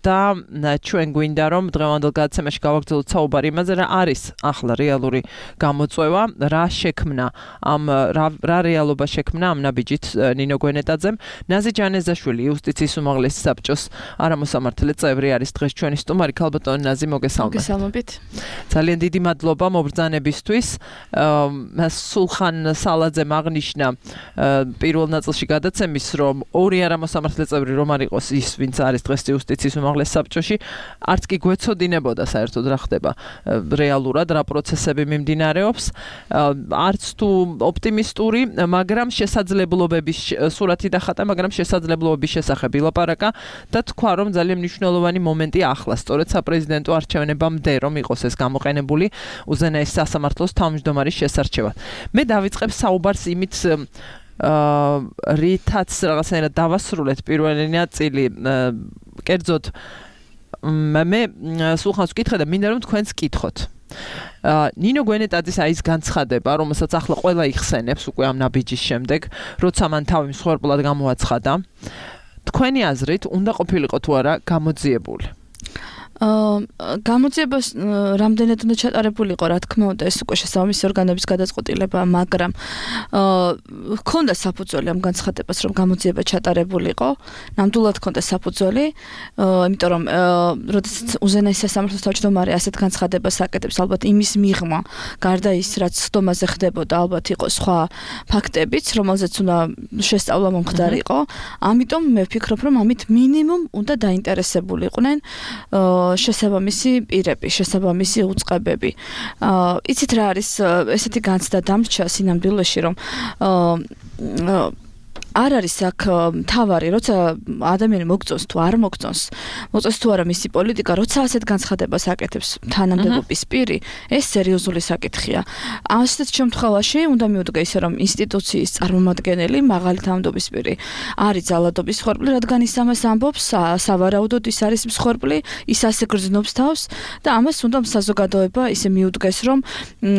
და ჩვენ გვინდა რომ დღევანდელ გადაცემაში გავაგრძელოთ საუბარი იმაზე, რა არის ახლა რეალური გამოწვევა, რა შექმნა რა რეალობა შექმნა ამ ნაბიჯით ნინო გვენეტაძემ. ნაზი ჯანეზაშვილი, იუსტიციის უმაღლესი საბჭოს არამოსამართლე წევრი არის დღეს ჩვენი სტუმარი. ქალბატონი ნაზი, მოგესალმებით. მოგესალმებით. ძალიან დიდი მადლობა მობრძანებისთვის. სულხან სალაძემ აღნიშნა პირველ ნაწილში გადაცემის, რომ ორი არამოსამართლე წევრი რომ არ იყოს ის, ვინც არის დღეს იუსტიციის უმაღლეს საბჭოში, არც კი გვეცოდინებოდა საერთოდ რა ხდება რეალურად, რა პროცესები მიმდინარეობს, არც თუ ოპტიმისტური, მაგრამ შესაძლებლობების სურათი დახატა, მაგრამ შესაძლებლობების შესახებ ილაპარაკა და თქვა, რომ ძალიან მნიშვნელოვანი მომენტი ახლა, სწორედ საპრეზიდენტო არჩევნებამდე, რომ იყოს ეს გამოყენებული უზენაეს სასამართლოს თავმჯდომარის შესარჩევად. მე დავიწყებ საუბარს იმით, რითაც რაღაცნაირად დავასრულეთ პირველი ნაწილი, კერძოდ მე სულხანს ვკითხე და მინდა რომ თქვენც კითხოთ. ნინო გვენეტაძის აი ეს განცხადება, რომელსაც ახლა ყველა იხსენებს უკვე ამ ნაბიჯის შემდეგ, როცა მან თავი მსხვერპლად გამოაცხადა, თქვენი აზრით უნდა ყოფილიყო თუ არა გამოძიებული? გამოძიებას რამდენად უნდა ჩატარებულიყო, რა თქმა უნდა, ეს უკვე შესაბამისი ორგანოების გადაწყვეტილება, მაგრამ ჰქონდა საფუძველი ამ განცხადებას, რომ გამოძიება ჩატარებულიყო, ნამდვილად ჰქონდა საფუძველი, იმიტომ რომ როდესაც უზენაეს სასამართლოს თავმჯდომარე ასეთ განცხადებას აკეთებს, ალბათ იმის მიღმა, გარდა ის, რაც სხდომაზე ხდებოდა, ალბათ იყო სხვა ფაქტებიც, რომელზეც უნდა შესწავლა მომხდარიყო, ამიტომ მე ვფიქრობ, რომ ამით მინიმუმ უნდა დაინტერესებულიყვნენ შესაბამისი პირები, შესაბამისი უწყებები. იცით რა არის ესეთი განცდა დამრჩა სინამდვილეში, რომ არ არის აქ თავარი, როცა ადამიანი მოგწონს თუ არ მოგწონს, მოწონს თუ არა მისი პოლიტიკა, როცა ასეთ განცხადებას აკეთებს თანამდებობის პირი, ეს სერიოზული საკითხია. ასეთ შემთხვევაში უნდა მიუდგა ისე, რომ ინსტიტუციის წარმომადგენელი, მაღალი თანამდებობის პირი არის ძალადობის მსხვერპლი, რადგან ის ამას ამბობს, სავარაუდოდ ის არის მსხვერპლი, ის ასე გრძნობს თავს და ამას უნდა საზოგადოება ისე მიუდგეს, რომ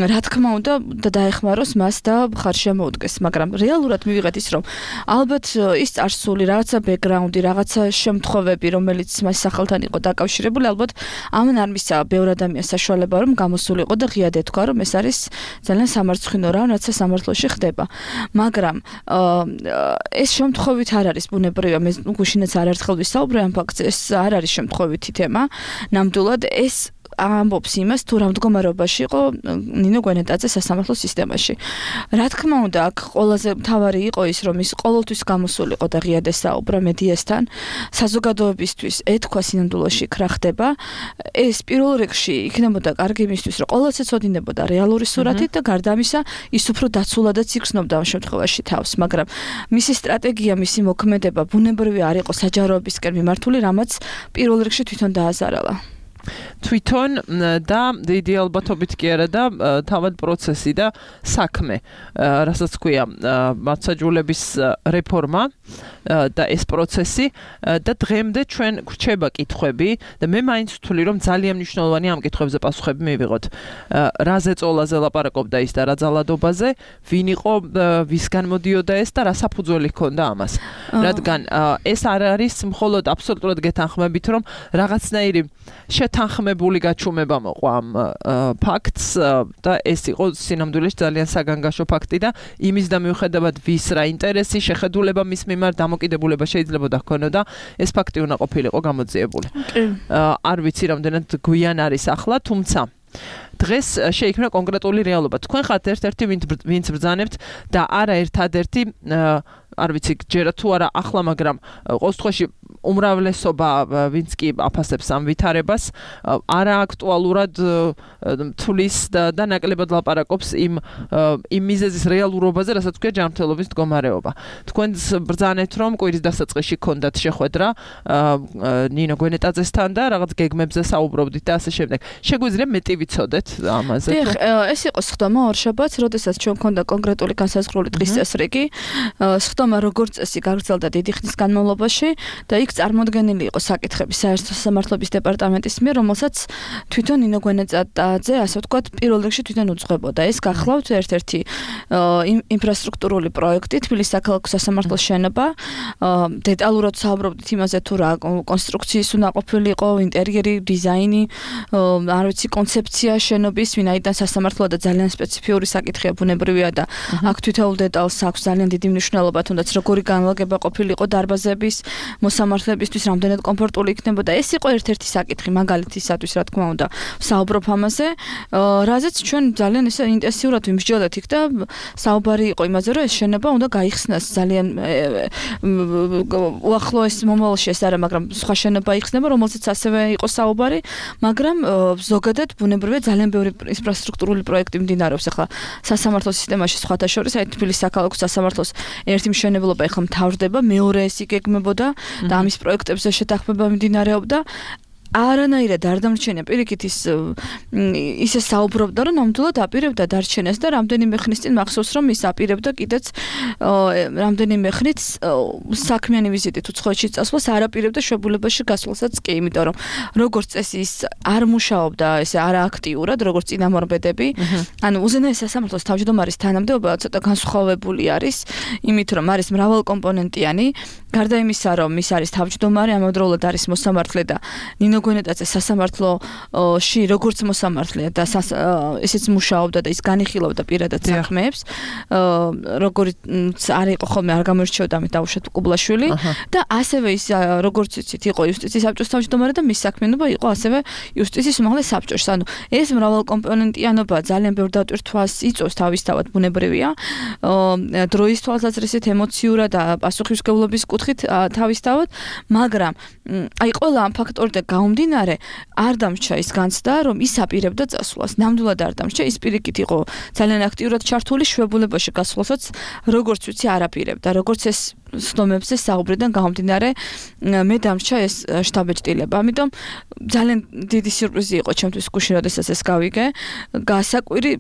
რა თქმა უნდა დაეხმაროს მას და ხარში მოუდგეს, მაგრამ რეალურად მივიღეთ ის, რომ ალბათ ის წარსული რაღაცა ბექგრაუნდი, რაღაცა შემთხვევები, რომელიც მას სახელთან იყო დაკავშირებული, ალბათ ამან არ მისცა ბევრ ადამიანს საშუალება, რომ გამოსულიყო და ღიად ეთქვა, რომ ეს არის ძალიან სამარცხვინო რამ, რაც სამართლოში ხდება. მაგრამ ეს შემთხვევით არ არის ბუნებრივია, მე გუშინაც არაერთხელ ვისაუბრე ამ ფაქტზე, ეს არ არის შემთხვევითი თემა. ნამდვილად ეს ამბობს იმას, თუ რა მდგომარეობაში იყო ნინო გვენეტაძე სასამართლო სისტემაში. რა თქმა უნდა, აქ ყველაზე მთავარი იყო ის, რომ ის ყოველთვის გამოსულიყო და ღიად ესაუბრა მედიასთან, საზოგადოებისთვის ეთქვა სინამდვილეში რა ხდება. ეს პირველ რიგში იქნებოდა კარგი იმისთვის, რომ ყოველთვის ეცოდინებოდა რეალური სურათით და გარდა ამისა, ის უფრო დაცულადაც იგრძნობდა ამ შემთხვევაში თავს, მაგრამ მისი სტრატეგია, მისი მოქმედება ბუნებრივი არ იყო საჯაროებისკენ მიმართული, რამაც პირველ რიგში თვითონ დააზარალა. თვითონ და დიდი ალბათობით კი არა და თავად პროცესი და საქმე, რასაც ქვია მართლმსაჯულების რეფორმა და ეს პროცესი და დღემდე ჩვენ გვრჩება კითხვები და მე მაინც ვთვლი რომ ძალიან მნიშვნელოვანი ამ კითხვებზე პასუხები მივიღოთ. რა ზეწოლაზე ლაპარაკობდა ის და რა ძალადობაზე, ვინ იყო, ვისგან მოდიოდა ეს და რა საფუძველი ჰქონდა ამას. რადგან ეს არ არის მხოლოდ აბსოლუტურად გეთანხმებით რომ რაღაცნაირი თანხმებული გაჩუმება მოყვა ამ ფაქტს და ეს იყო სინამდვილეში ძალიან საგანგაშო ფაქტი და იმის და მიუხედავად ვის რა ინტერესი, შეხედულება მის მიმართ დამოკიდებულება შეიძლება დაქონოდა, ეს ფაქტი უნდა ყოფილიყო გამოძიებული. არ ვიცი რამდენად გვიან არის ახლა, თუმცა დღეს შეიქმნა კონკრეტული რეალობა. თქვენ ხართ ერთ-ერთი ვინც ბრძანებთ და არა ერთადერთი არ ვიცი ჯერა თუ არა ახლა, მაგრამ ყოველ შემთხვევაში უმრავლესობა ვინც კი აფასებს ამ ვითარებას არა აქტუალურად თulis და ნაკლებად ლაპარაკობს იმ მიზეზის რეალურობაზე, რასაც ქვია ჯანმრთელობის მდგომარეობა. თქვენ ბრძანეთ რომ კვირის დასაწყისში ქონდათ შეხვედრა ნინო გვენეტაძესთან და რაღაც გეგმებზე საუბრობდით და ასე შემდეგ. შეგვიძლია მეტი ვიცოდეთ ამაზე? დიახ, ეს იყო სხდომა ორშაბათს, როდესაც ჩვენ ქონდა კონკრეტული განსაზღვრული დღის წესრიგი. სხდომა როგორც წესი გაგრძელდა დიდი ხნის განმავლობაში და იქ წარმოდგენილი იყო საკითხები საერთო სამართლობის დეპარტამენტის მიერ, რომელსაც თვითონ ნინო გვენეტაძე, ასე ვთქვათ, პირველ რიგში თვითონ უძღვებოდა. ეს გახლავთ ერთ-ერთი ინფრასტრუქტურული პროექტი, თბილისის საქალაქო სასამართლოს შენობა. დეტალურად საუბრობდით იმაზე, თუ რა კონსტრუქციის უნდა ყოფილიყო, ინტერიერი, დიზაინი, არ ვიცი, კონცეფცია შენობის, ვინაიდან სასამართლოა და ძალიან სპეციფიური საკითხია, ბუნებრივია და აქ თითოეულ დეტალს აქვს ძალიან დიდი მნიშვნელობა, თუნდაც როგორი განლაგება ყოფილიყო დარბაზების, მოსამართლებისთვის რამდენად კომფორტული იქნებოდა. ეს იყო ერთ-ერთი საკითხი მაგალითისათვის, რა თქმა უნდა, საუბრობ ამაზე, რაზეც ჩვენ ძალიან ისე ინტენსიურად ვიმსჯელდით იქ და საუბარი იყო იმაზე, რომ ეს შენობა უნდა გაიხსნას ძალიან უახლოეს მომავალში, ეს არა, მაგრამ სხვა შენობა იხსნება, რომელზეც ასევე იყო საუბარი, მაგრამ ზოგადად ბუნებრივია ძალიან ბევრი ინფრასტრუქტურული პროექტი მიმდინარეობს ახლა სასამართლო სისტემაში, სხვათა შორის, აი თბილისის საქალაქო სასამართლოს ერთი მშენებლობა ახლა მთავრდება, მეორე ეს იგეგმებოდა და ამის პროექტებზე შეთანხმება მიმდინარეობდა. არანაირად არ დამრჩენია პირიქით ისე საუბრობდა, რომ ნამდვილად აპირებდა დარჩენას და რამდენიმე ხნის წინ მახსოვს, რომ ის აპირებდა კიდეც რამდენიმე ხნით საქმიანი ვიზიტით უცხოეთში წასვლას არ აპირებდა შვებულებაში გასვლასაც კი, იმიტომ რომ როგორც წესი ის არ მუშაობდა ესე არააქტიურად, როგორც წინამორბედები. ანუ უზენაეს სასამართლოს თავმჯდომარის თანამდებობა ცოტა განსხვავებული არის, იმით რომ არის მრავალკომპონენტიანი, გარდა იმისა, რომ ის არის თავმჯდომარე, ამავდროულად არის მოსამართლე და ნინო გვენეტაძე სასამართლოში როგორც მოსამართლეა და ესეც მუშაობდა და ის განიხილავდა პირადად საქმეებს, როგორც არ იყო ხოლმე, არ გამოირჩეოდა ამით დაუშვათ კუბლაშვილი და ასევე ის როგორც იცით იყო იუსტიციის საბჭოს თავმჯდომარე და მის საქმიანობა იყო ასევე იუსტიციის უმაღლეს საბჭოში. ანუ ეს მრავალკომპონენტიანობა ძალიან ბევრ დატვირთვას იწვევს თავისთავად, ბუნებრივია, დროის თვალსაზრისით, ემოციურად და პასუხისმგებლობის კუთხით თავისთავად, მაგრამ აი ყველა ამ ფაქტორიდან გამომდინარე არ დამრჩა ის განცდა, რომ ის აპირებდა წასვლას. ნამდვილად არ დამრჩა, ის პირიქით იყო ძალიან აქტიურად ჩართული შვებულებაში გასვლასაც, როგორც ვიცი, არ აპირებდა, როგორც ეს სხდომებზე საუბრიდან გამომდინარე, მე დამრჩა ეს შტაბეჭდილება. ამიტომ ძალიან დიდი სიურპრიზი იყო ჩემთვის გუშინ, როდესაც ეს გავიგე. გასაკვირი,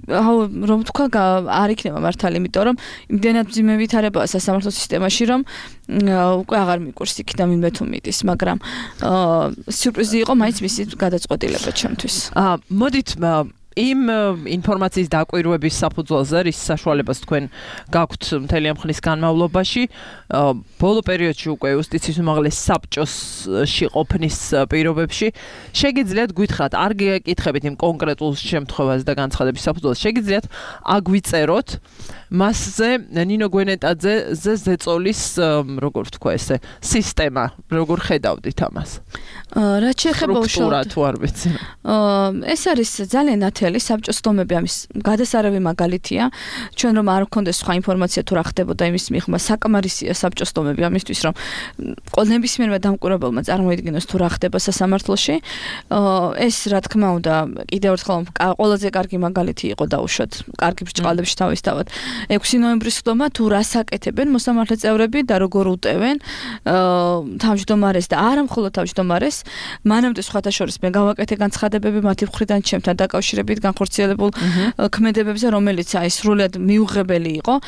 რომ თქვა, არ იქნება მართალი, იმიტომ რომ იმდენად მძიმე ვითარებაა სასამართლო სისტემაში, რომ უკვე აღარ მიკვირს იქიდან ვინმე თუ მიდის, მაგრამ სიურპრიზი იყო მაინც მისი გადაწყვეტილება ჩემთვის. მოდით იმ ინფორმაციის დაკვირვების საფუძველზე, რის საშუალებას თქვენ გაქვთ მთელი ამ ხნის განმავლობაში, ბოლო პერიოდში უკვე იუსტიციის უმაღლეს საბჭოსში ყოფნის პირობებში, შეგიძლიათ გითხრათ, არ გეკითხებით იმ კონკრეტულ შემთხვევას და განცხადების საფუძველზე, შეგიძლიათ აგვიწეროთ მასზე ნინო გვენეტაძეზე ზეწოლის, როგორ ვთქვა ესე, სისტემა, როგორ ხედავდით ამას? რაც შეეხება სტრუქტურა თუ არ ვიცი. ეს არის ძალიან წითელი საბჭოს დომები ამის გადასარევი მაგალითია. ჩვენ რომ არ გქონდეს სხვა ინფორმაცია თუ რა ხდებოდა იმის მიღმა, საკმარისია საბჭოს დომები ამისთვის, რომ ნებისმიერმა დამკვირვებელმა წარმოიდგინოს თუ რა ხდება სასამართლოში. ეს რა თქმა უნდა კიდევ ერთხელ ყველაზე კარგი მაგალითი იყო დაუშვათ კარგი ბრჭყალებში თავისთავად 6 ნოემბრის ხდომა თუ რას აკეთებენ მოსამართლე წევრები და როგორ უტევენ თავმჯდომარეს და არა მხოლოდ თავმჯდომარეს მანამდე სხვათა შორის მე გავაკეთე განცხადებები მათი მხრიდან ჩემთან დაკავშირებით განხორციელებულ ქმედებებზე რომელიც აი სრულად მიუღებელი იყო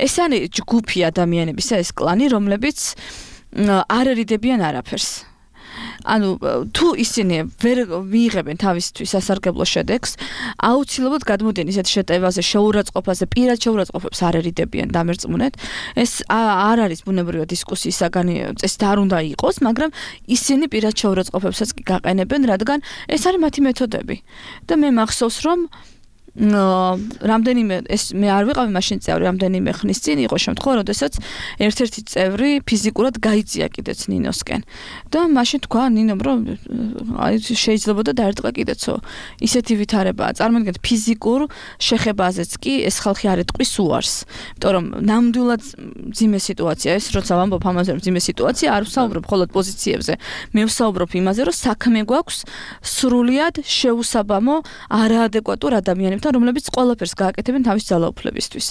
ეს არის ჯგუფი ადამიანებისა ეს კლანი რომლებიც არ ერიდებიან არაფერს ანუ თუ ისინი ვერ მიიღებენ თავისთვის სასარგებლო შედეგს, აუცილებლად გადმოდიან ისეთ შეტევაზე, შეურაცხყოფაზე, პირად შეურაცხყოფებს არ ერიდებიან დამერწმუნეთ. ეს არ არის ბუნებრივი დისკუსიის საგანი წესით არ უნდა იყოს, მაგრამ ისინი პირად შეურაცხყოფებსაც კი გაყენებენ, რადგან ეს არის მათი მეთოდები. და მე მახსოვს რომ რამდენიმე ეს მე არ ვიყავი მაშინ წევრი რამდენიმე ხნის წინ იყო შემთხვევა როდესაც ერთ-ერთი წევრი ფიზიკურად გაიწია კიდეც ნინოსკენ და მაშინ თქვა ნინომ რომ აი შეიძლებოდა დაერტყა კიდეცო ისეთი ვითარებაა წარმოიდგინეთ ფიზიკურ შეხებაზეც კი ეს ხალხი არ ეტყვის უარს იმიტომ რომ ნამდვილად ძიმე სიტუაცია ეს როცა ვამბობ ამაზე რომ ძიმე სიტუაცია არ ვსაუბრობ მხოლოდ პოზიციებზე მე ვსაუბრობ იმაზე რომ საქმე გვაქვს სრულიად შეუსაბამო არაადეკვატურ ადამიანებთან რომლებიც ყველაფერს გააკეთებენ თავის ძალაუფლებისთვის.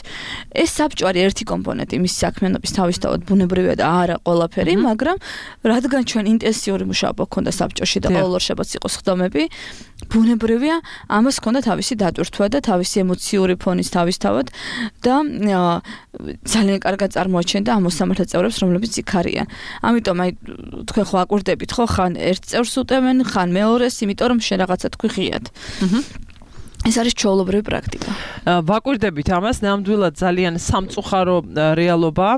ეს საბჭო არის ერთი კომპონენტი მის საქმიანობის თავისთავად ბუნებრივია და არა ყველაფერი, მაგრამ რადგან ჩვენ ინტენსიური მუშაობა გქონდა საბჭოში და ყოველ ორ შაბათს იყოს ხდომები, ბუნებრივია ამას ჰქონდა თავისი დატვირთვა და თავისი ემოციური ფონის თავისთავად და ძალიან კარგად წარმოაჩენდა ამ მოსამართლე წევრებს, რომლებიც იქ არიან. ამიტომ აი თქვენ ხო აკვირდებით ხო ხან ერთ წევრს უტევენ, ხან მეორეს, იმიტომ რომ შენ რაღაცა თქვი ღიად. ეს არის ჩვეულებრივი პრაქტიკა. ვაკვირდებით ამას, ნამდვილად ძალიან სამწუხარო რეალობაა.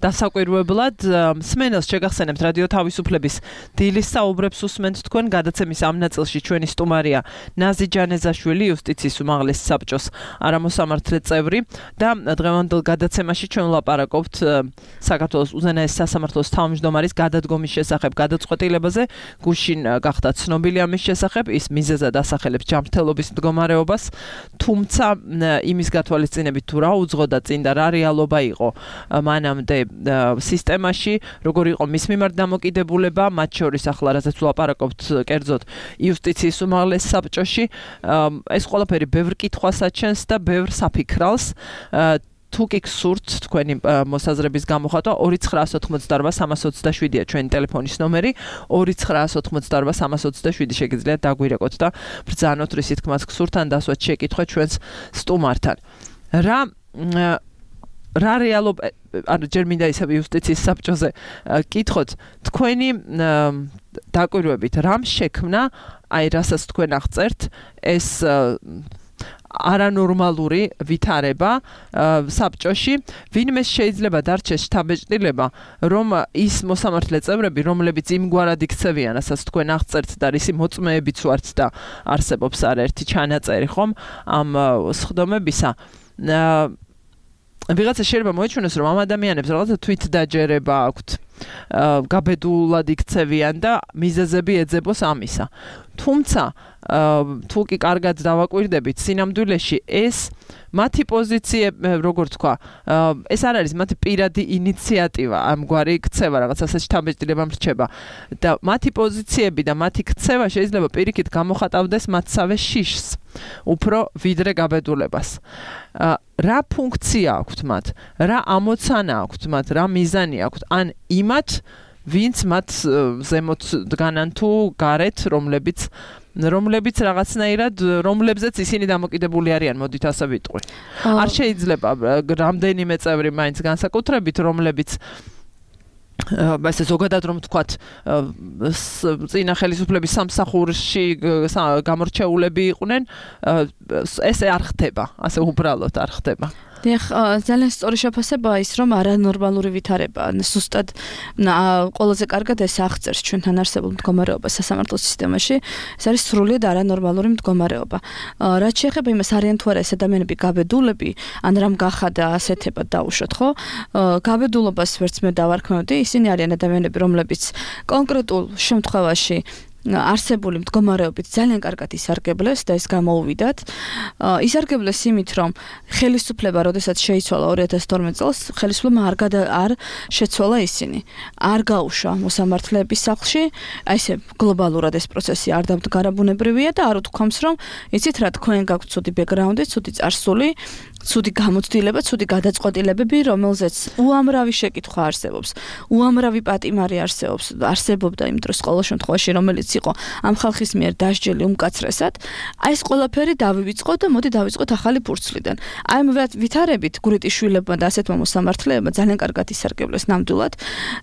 დასაკვირვებლად სმენელს შეგახსენებთ რადიო თავისუფლების დილის საუბრებს უსმენთ თქვენ გადაცემის ამ ნაწილში ჩვენი სტუმარია ნაზი ჯანეზაშვილი იუსტიციის უმაღლესი საბჭოს არამოსამართლე წევრი და დღევანდელ გადაცემაში ჩვენ ვლაპარაკობთ საქართველოს უზენაეს სასამართლოს თავმჯდომარის გადადგომის შესახებ გადაწყვეტილებაზე გუშინ გახდა ცნობილი ამის შესახებ ის მიზეზად ასახელებს ჯანმრთელობის მდგომარეობას თუმცა იმის გათვალისწინებით თუ რა უძღოდა წინ და რა რეალობა იყო მანამდე სისტემაში, როგორ იყო მის მიმართ დამოკიდებულება, მათ შორის ახლა რასაც ვლაპარაკობთ კერძოდ იუსტიციის უმაღლეს საბჭოში, ეს ყველაფერი ბევრ კითხვას აჩენს და ბევრ საფიქრალს. თუ კი გსურთ თქვენი მოსაზრების გამოხატვა 2988327-ია ჩვენი ტელეფონის ნომერი 2988327 შეგიძლიათ დაგვირეკოთ და ბრძანოთ რისი თქმაც გსურთ ან დასვათ შეკითხვა ჩვენს სტუმართან. რა რეალობა ანუ ჯერ მინდა ისევ იუსტიციის საბჭოზე კითხოთ თქვენი დაკვირვებით რამ შექმნა აი რასაც თქვენ აღწერთ ეს არანორმალური ვითარება საბჭოში ვინმე შეიძლება დარჩეს შთაბეჭდილება რომ ის მოსამართლე წევრები რომლებიც იმგვარად იქცევიან რასაც თქვენ აღწერთ და რისი მოწმეებიც ვართ და არსებობს არაერთი ჩანაწერი ხომ ამ სხდომებისა ვიღაცა შეიძლება მოეჩვენოს რომ ამ ადამიანებს რაღაცა თვითდაჯერება აქვთ გაბედულად იქცევიან და მიზეზები ეძებოს ამისა თუმცა თუ კი კარგად დავაკვირდებით სინამდვილეში ეს მათი პოზიცია როგორ თქვა ეს არ არის მათი პირადი ინიციატივა ამგვარი ქცევა რაღაცა შთაბეჭდილება მრჩება და მათი პოზიციები და მათი ქცევა შეიძლება პირიქით გამოხატავდეს მათსავე შიშს უფრო ვიდრე გაბედულებას რა ფუნქცია აქვთ მათ რა ამოცანა აქვთ მათ რა მიზანი აქვთ ან იმათ ვინც მათ ზემოთ დგანან თუ გარეთ რომლებიც რაღაცნაირად რომლებზეც ისინი დამოკიდებული არიან მოდით ასე ვიტყვი არ შეიძლება რამდენიმე წევრი მაინც განსაკუთრებით რომლებიც ესე ზოგადად რომ თქვათ წინა ხელისუფლების სამსახურში გამორჩეულები იყვნენ ესე არ ხდება ასე უბრალოდ არ ხდება დიახ, ძალიან სწორი შეფასებაა ის, რომ არანორმალური ვითარება, ზუსტად ყველაზე კარგად ეს აღწერს ჩვენთან არსებულ მდგომარეობას სასამართლო სისტემაში. ეს არის სრულიად არანორმალური მდგომარეობა. რაც შეეხება იმას, არიან თუ არა ეს ადამიანები გაბედულები, ან რამ გახადა ასეთებად დაუშვათ, ხო? გაბედულობას ვერც მე დავარქმევდი, ისინი არიან ადამიანები, რომლებიც კონკრეტულ შემთხვევაში არსებული მდგომარეობით ძალიან კარგად ისარგებლეს და ეს გამოუვიდათ. ისარგებლეს იმით, რომ ხელისუფლება, როდესაც შეიცვალა 2012 წელს, ხელისუფლებამ არ შეცვალა ისინი. არ გაუშვა მოსამართლეების სახლში, აი ესე გლობალურად ეს პროცესი არ დამდგარაბუნებრივია და არ უთქვამს, რომ იცით რა, თქვენ გაქვთ ცუდი ბექგრაუნდი, ცუდი წარსული, ცუდი გამოცდილება, ცუდი გადაწყვეტილებები, რომელზეც უამრავი შეკითხვა არსებობს, უამრავი პატიმარი არსებობდა იმ დროს ყოველ შემთხვევაში, რომელიც იყო ამ ხალხის მიერ დასჯელი უმკაცრესად. აი ეს ყველაფერი დავივიწყოთ და მოდი დავიწყოთ ახალი ფურცლიდან. აი ამ ვითარებით გურიტიშვილებმა და ასეთმა მოსამართლეებმა ძალიან კარგად ისარგებლეს ნამდვილად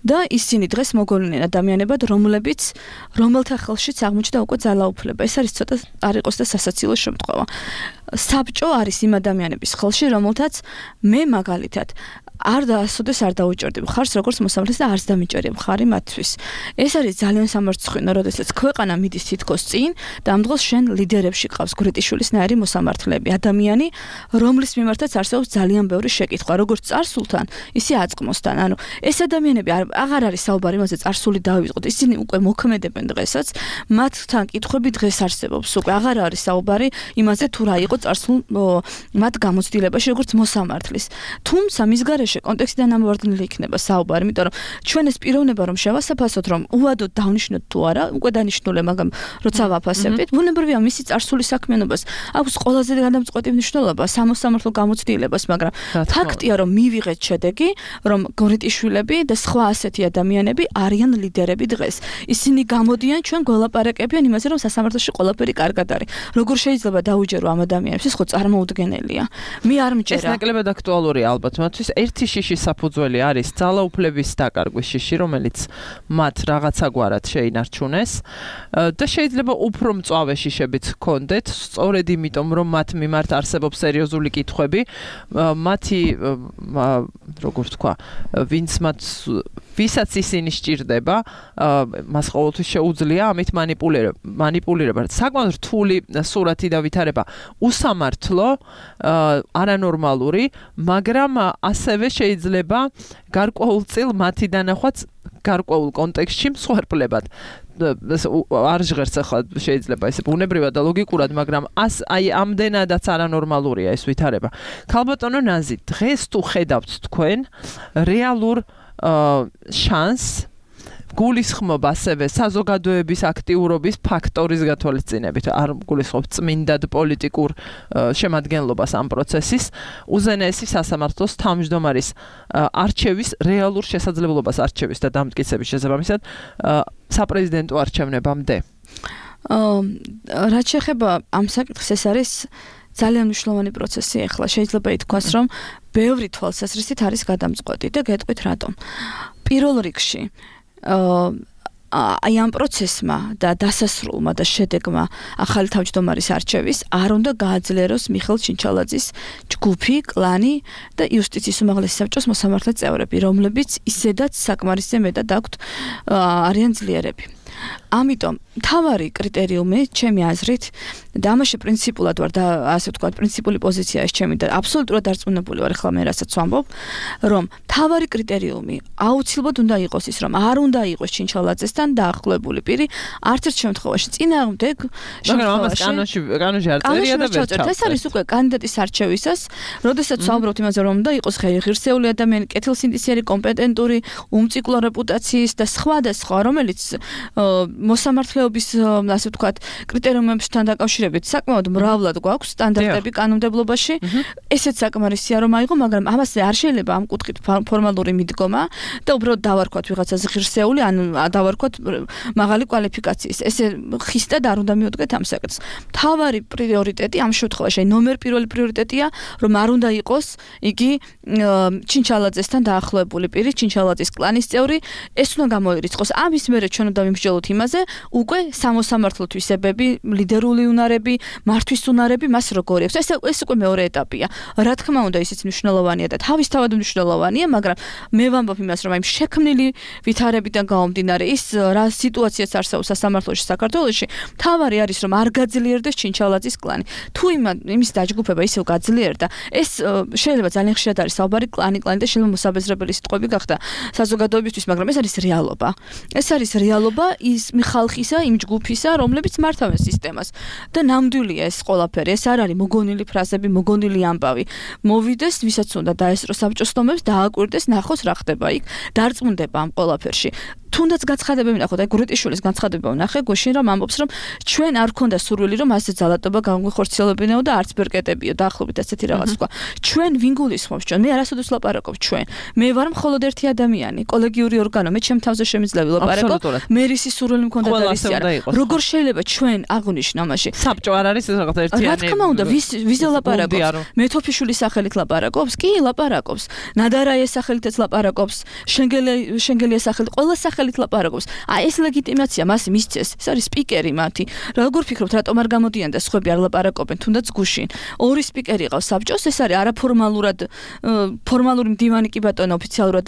და ისინი დღეს მოგონილენ ადამიანებად, რომელთა ხელშიც აღმოჩნდა უკვე ძალაუფლება. ეს არის ცოტა არ იყოს და სასაცილო შემთხვევა. საბჭო არის იმ ადამიანების ხელში, რომელთაც მე მაგალითად ასოდეს არ დაუჭერდი მხარს როგორც მოსამართლეს და არც დამიჭერია მხარი მათთვის. ეს არის ძალიან სამარცხვინო, როდესაც ქვეყანა მიდის თითქოს წინ და ამ დროს შენ ლიდერებში ყავს გურიტიშვილისნაირი მოსამართლეები, ადამიანი, რომლის მიმართაც არსებობს ძალიან ბევრი შეკითხვა, როგორც წარსულთან, ისე აწყმოსთან. ანუ ეს ადამიანები აღარ არის საუბარი იმაზე წარსული დავივიწყოთ, ისინი უკვე მოქმედებენ დღესაც, მათთან კითხვები დღეს არსებობს, უკვე აღარ არის საუბარი იმაზე თუ რა იყო წარსულ მათ გამოცდილებაში როგორც მოსამართლის. თუმცა მის გარეშე კონტექსტიდან ამოვარდნილი იქნება საუბარი, იმიტომ რომ ჩვენ ეს პიროვნება რომ შევასაფასოთ, რომ უადოდ დავნიშნოთ თუ არა, უკვე დანიშნულია, მაგრამ როცა ვაფასებთ, ბუნებრივია მისი წარსული საქმიანობას აქვს ყველაზე გადამწყვეტი მნიშვნელობა სამოსამართლო გამოცდილებას, მაგრამ ფაქტია, რომ მივიღეთ შედეგი, რომ გურიტიშვილები და სხვა ასეთი ადამიანები არიან ლიდერები დღეს. ისინი გამოდიან, ჩვენ გველაპარაკებიან იმაზე, რომ სასამართლოში ყველაფერი კარგად არის. როგორ შეიძლება დაუჯერო ამ ადამიანებს, ეს ხო წარმოუდგენელია. მე არ მჯერა. ეს ნაკლებად აქტუალურია ალბათ მათთვის. ერთი შიში საფუძველი არის ძალაუფლების დაკარგვის შიში, რომელიც მათ რაღაცაგვარად შეინარჩუნეს და შეიძლება უფრო მწვავე შიშებიც ჰქონდეთ, სწორედ იმიტომ, რომ მათ მიმართ არსებობს სერიოზული კითხვები, მათი როგორ თქვა, ვისაც ისინი სჭირდება, მას ყოველთვის შეუძლია ამით მანიპულირება. საკმაოდ რთული სურათი და ვითარება, უსამართლო, არანორმალური, მაგრამ ასევე შეიძლება გარკვეულწილ მათი დანახვაც გარკვეულ კონტექსტში მსხვერპლებად. არ ჟღერს ახლა შეიძლება ესე ბუნებრივად და ლოგიკურად, მაგრამ აი ამდენადაც არანორმალურია ეს ვითარება. ქალბატონო ნაზი, დღეს თუ ხედავთ თქვენ რეალურ შანსს გულისხმობ ასევე საზოგადოების აქტიურობის ფაქტორის გათვალისწინებით, არ გულისხმობ წმინდად პოლიტიკურ შემადგენლობას ამ პროცესის, უზენაესი სასამართლოს თავმჯდომარის არჩევის რეალურ შესაძლებლობას არჩევის და დამტკიცების შესაბამისად საპრეზიდენტო არჩევნებამდე. რაც შეეხება ამ საკითხს, ეს არის ძალიან მნიშვნელოვანი პროცესი ახლა. შეიძლება ითქვას, რომ ბევრი თვალსაზრისით არის გადამწყვეტი და გეტყვით რატომ. პირველ რიგში აი ამ პროცესმა და დასასრულმა და შედეგმა ახალი თავმჯდომარის არჩევის არ უნდა გააძლიეროს მიხეილ ჩინჩალაძის ჯგუფი, კლანი და იუსტიციის უმაღლესი საბჭოს მოსამართლე წევრები, რომლებიც ისედაც საკმარისზე მეტად აქვთ არიან ძლიერები. ამიტომ მთავარი კრიტერიუმი, ჩემი აზრით, და ამაში პრინციპულად ვარ და ასე ვთქვათ, პრინციპული პოზიცია ეს ჩემი და აბსოლუტურად დარწმუნებული ვარ ახლა მე რასაც ვამბობ, რომ მთავარი კრიტერიუმი აუცილებლად უნდა იყოს ის, რომ არ უნდა იყოს ჩინჩალაძესთან დაახლოებული პირი, არც ერთ შემთხვევაში წინააღმდეგ შემთხვევაში. კანონში არ წერია და ვერ ჩავწერთ. ეს არის უკვე კანდიდატის არჩევისას, როდესაც ვამბობთ იმაზე, რომ უნდა იყოს ღირსეული ადამიანი, კეთილსინდისიერი, კომპეტენტური, უმციკლო რეპუტაციის და სხვა, რომელიც მოსამართლეობის, ასე ვთქვათ, კრიტერიუმებთან დაკავშირებით საკმაოდ მრავლად გვაქვს სტანდარტები კანონმდებლობაში. ესეც საკმარისია რომ აიღო, მაგრამ ამაზე არ შეიძლება ამ კუთხით ფორმალური მიდგომა და უბრალოდ დავარქვათ ვიღაცას ღირსეული, ან დავარქვათ მაღალი კვალიფიკაციის. ესე ხისტად არ უნდა მიუდგეთ ამ საკითხს. მთავარი პრიორიტეტი ამ შემთხვევაში, ნომერ პირველი პრიორიტეტია, რომ არ უნდა იყოს იგი ჩინჩალაძესთან დაახლოებული პირი, ჩინჩალაძის კლანის წევრი, ეს უნდა გამოირიცხოს. ამის მერე ჩვენ უნდა ვიმსჯელოთ იმაზე, უკვე სამოსამართლო თვისებები, ლიდერული უნარები, მართვის უნარები მას როგორი აქვს. ეს უკვე მეორე ეტაპია. რა თქმა უნდა, ისიც მნიშვნელოვანია და თავისთავად მნიშვნელოვანია, მაგრამ მე ვამბობ იმას, რომ აი შექმნილი ვითარებიდან გამომდინარე ის რა სიტუაციაც არსებობს სასამართლოში საქართველოში, მთავარი არის რომ არ გაძლიერდეს ჩინჩალაძის კლანი. თუ იმის დაჯგუფება ისევ გაძლიერდა, ეს შეიძლება ძალიან ხშირად არის საუბარი კლანი და შეიძლება მოსაბეზრებელი სიტყვები გახდა საზოგადოებისთვის, მაგრამ ეს არის რეალობა. ეს არის რეალობა, ხალხისა, იმ ჯგუფისა, რომლებიც მართავენ სისტემას. და ნამდვილია ეს ყველაფერი, ეს არ არის მოგონილი ფრაზები, მოგონილი ამბავი. მოვიდეს, ვისაც უნდა დაესწრო საბჭოს ტომებს, დააკვირდეს, ნახოს რა ხდება იქ, დარწმუნდება ამ ყველაფერში. თუნდაც განცხადებები ნახოთ, აი გურიტიშვილის განცხადება ვნახე, გუშინ რომ ამბობს, რომ ჩვენ არ გქონდა სურვილი, რომ ასე ძალადობა განვიხორციელებინეო და არც ბერკეტებიო, დაახლოებით ასეთი რაღაც თქვა. ჩვენ ვინ გულისხმობს ჩვენ? მე არასოდეს ლაპარაკობ ჩვენ. მე ვარ მხოლოდ ერთი ადამიანი, კოლეგიური ორგანო, მე ჩემ თავზე შემიძლია ლაპარაკო. მერისი სურვილი მქონდა და ისე არა. როგორ შეიძლება ჩვენ აღვნიშნო მაშინ? საბჭო არ არის რაღაც ერთიანი. რა თქმა უნდა, ვის ლაპარაკობს? მეთოფიშვილის სახელით ლაპარაკობს? კი, ლაპარაკობს. ნადარაიეს სახელითაც ლაპარაკობს, შენგელიას სახელით, ყველა სახელით ლაპარაკობს. აი ეს ლეგიტიმაცია მას მისცეს. ეს არის სპიკერი მათი. როგორ ფიქრობთ, რატომ არ გამოდიან და სხვები არ ლაპარაკობენ, თუნდაც გუშინ. ორი სპიკერი ყავს საბჭოს, ეს არის არაფორმალურად ფორმალური მდივანი კი ბატონო ოფიციალურად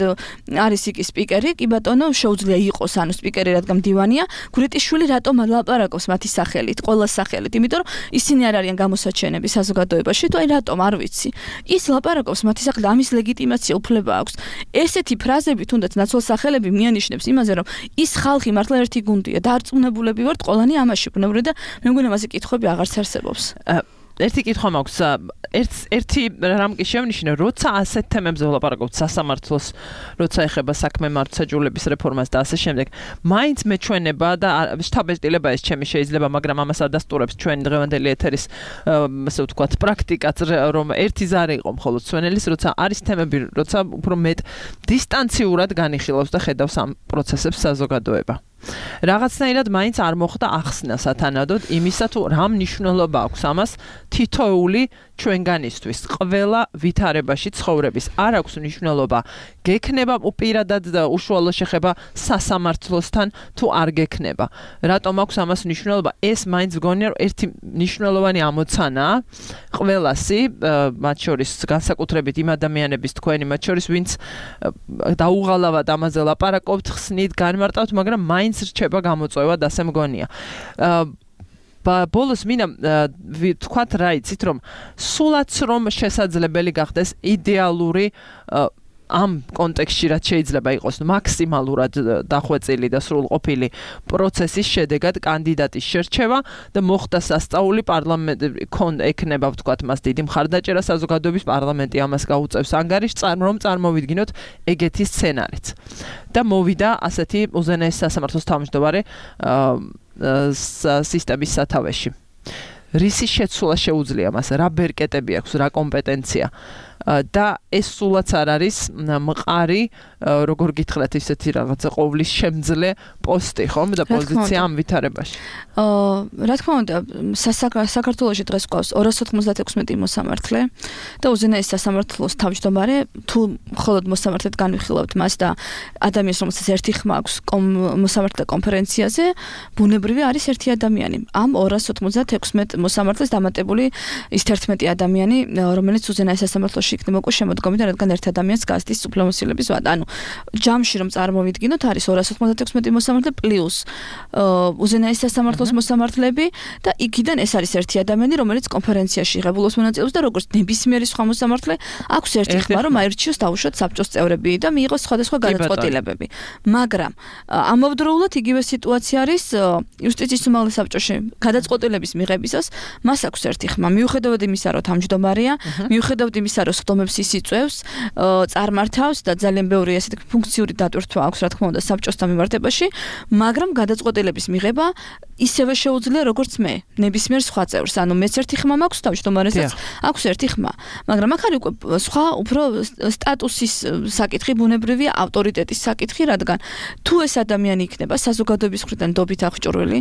არის იქ სპიკერი, კი ბატონო შეუძლია იყოს ანუ სპიკერი რადგან მდივანია. გურიტიშვილი რატომ ლაპარაკობს მათი სახელით, ყველა სახელით, იმიტომ რომ ისინი არ არიან გამოსაჩენები საზოგადოებაში, თუ აი რატომ არ ვიცი. ის ლაპარაკობს მათი სახელით, ამის ლეგიტიმაცია უფლება აქვს. ესეთი ფრაზები თუნდაც ნაცვალსახელები მიანიშნებს იმაზე, რომ ის ხალხი მართლა ერთი გუნდია, დარწმუნებულები ვართ ყველანი ამაში ბუნებრივი და მე მგონი მასე კითხვები აღარც არსებობს. ერთი კითხვა მაქვს, ერთი რამ კი შევნიშნე, როცა ასეთ თემებზე ვლაპარაკობთ სასამართლოს, როცა ეხება საქმე მართლმსაჯულების რეფორმას და ასე შემდეგ, მაინც მეჩვენება და შთაბეჭდილება ეს ჩემი შეიძლება, მაგრამ ამას არ დასტურებს ჩვენი დღევანდელი ეთერის ასე ვთქვათ, პრაქტიკაც, რომ ერთი ზარი იყო მხოლოდ სვენელის, როცა არის თემები, როცა უფრო მეტ დისტანციურად განიხილავს და ხედავს ამ პროცესებს საზოგადოება. რაღაცნაირად მაინც არ მოხდა ახსნა სათანადოდ იმისა თუ რა მნიშვნელობა აქვს ამას თითოეული ჩვენგანისთვის ყველა ვითარებაში ცხოვრების არ აქვს მნიშვნელობა გექნება უპირადად და უშუალო შეხება სასამართლოსთან თუ არ გექნება რატომ აქვს ამას მნიშვნელობა ეს მაინც გონია რომ ერთი მნიშვნელოვანი ამოცანაა ყველასი მათ შორის განსაკუთრებით იმ ადამიანების თქვენი მათ შორის ვინც დაუღალავად ამაზე ლაპარაკობთ ხსნით განმარტავთ მაგრამ მაინც რჩება გამოწვევა და ასე მგონია. ბოლოს მინდა ვთქვათ რა იცით რომ სულაც რომ შესაძლებელი გახდეს იდეალური ამ კონტექსტში რაც შეიძლება იყოს მაქსიმალურად დახვეწილი და სრულყოფილი პროცესის შედეგად კანდიდატის შერჩევა და მოხდა სასწაული პარლამენტი ექნება ვთქვათ მას დიდი მხარდაჭერა საზოგადოების პარლამენტი ამას გაუწევს ანგარიშს რომ წარმოვიდგინოთ ეგეთი სცენარიც და მოვიდა ასეთი უზენაეს სასამართლოს თავმჯდომარე სისტემის სათავეში რისი შეცვლა შეუძლია მას რა ბერკეტები აქვს რა კომპეტენცია და ეს სულაც არ არის მყარი როგორ გითხრათ ისეთი რაღაცა ყოვლის შემძლე პოსტი ხომ და პოზიცია ამ ვითარებაში რა თქმა უნდა საქართველოში დღეს ყავს 296 მოსამართლე და უზენაეს სასამართლოს თავმჯდომარე თუ მხოლოდ მოსამართლედ განვიხილავთ მას და ადამიანს რომელსაც ერთი ხმა აქვს მოსამართლე კონფერენციაზე ბუნებრივი არის ერთი ადამიანი ამ 296 მოსამართლეს დამატებული ის 11 ადამიანი რომელიც უზენაეს სასამართლოში იქნება უკვე შემოდგომიდან რადგან ერთ ადამიანს გასდის უფლებამოსილების ვადა. ანუ ჯამში რომ წარმოვიდგინოთ არის 296 მოსამართლე პლუს უზენაეს სასამართლოს მოსამართლეები და იქიდან ეს არის ერთი ადამიანი რომელიც კონფერენციაში ღებულობს მონაწილეობს და როგორც ნებისმიერი სხვა მოსამართლე აქვს ერთი ხმა რომ აირჩიოს დაუშვათ საბჭოს წევრები და მიიღოს სხვადასხვა გადაწყვეტილებები. მაგრამ ამავდროულად იგივე სიტუაცია არის იუსტიციის უმაღლეს საბჭოში გადაწყვეტილების მიღებისას მას აქვს ერთი ხმა მიუხედავად იმისა რომ თავმჯდომარეა მიუხედავად იმისა რომ ხდომებს ის იწევს, წარმართავს და ძალიან ბევრი ასეთი ფუნქციური დატვირთვა აქვს, რა თქმა უნდა, საბჭოსთან მიმართებაში, მაგრამ გადაწყვეტილების მიღება ისევე შეუძლია როგორც მე, ნებისმიერ სხვა წევრს. ანუ მეც ერთი ხმა მაქვს, თავმჯდომარესაც აქვს ერთი ხმა. მაგრამ აქ არის უკვე სხვა უფრო სტატუსის საკითხი, ბუნებრივია ავტორიტეტის საკითხი, რადგან თუ ეს ადამიანი იქნება საზოგადოების მხრიდან დობით აღჭურვილი,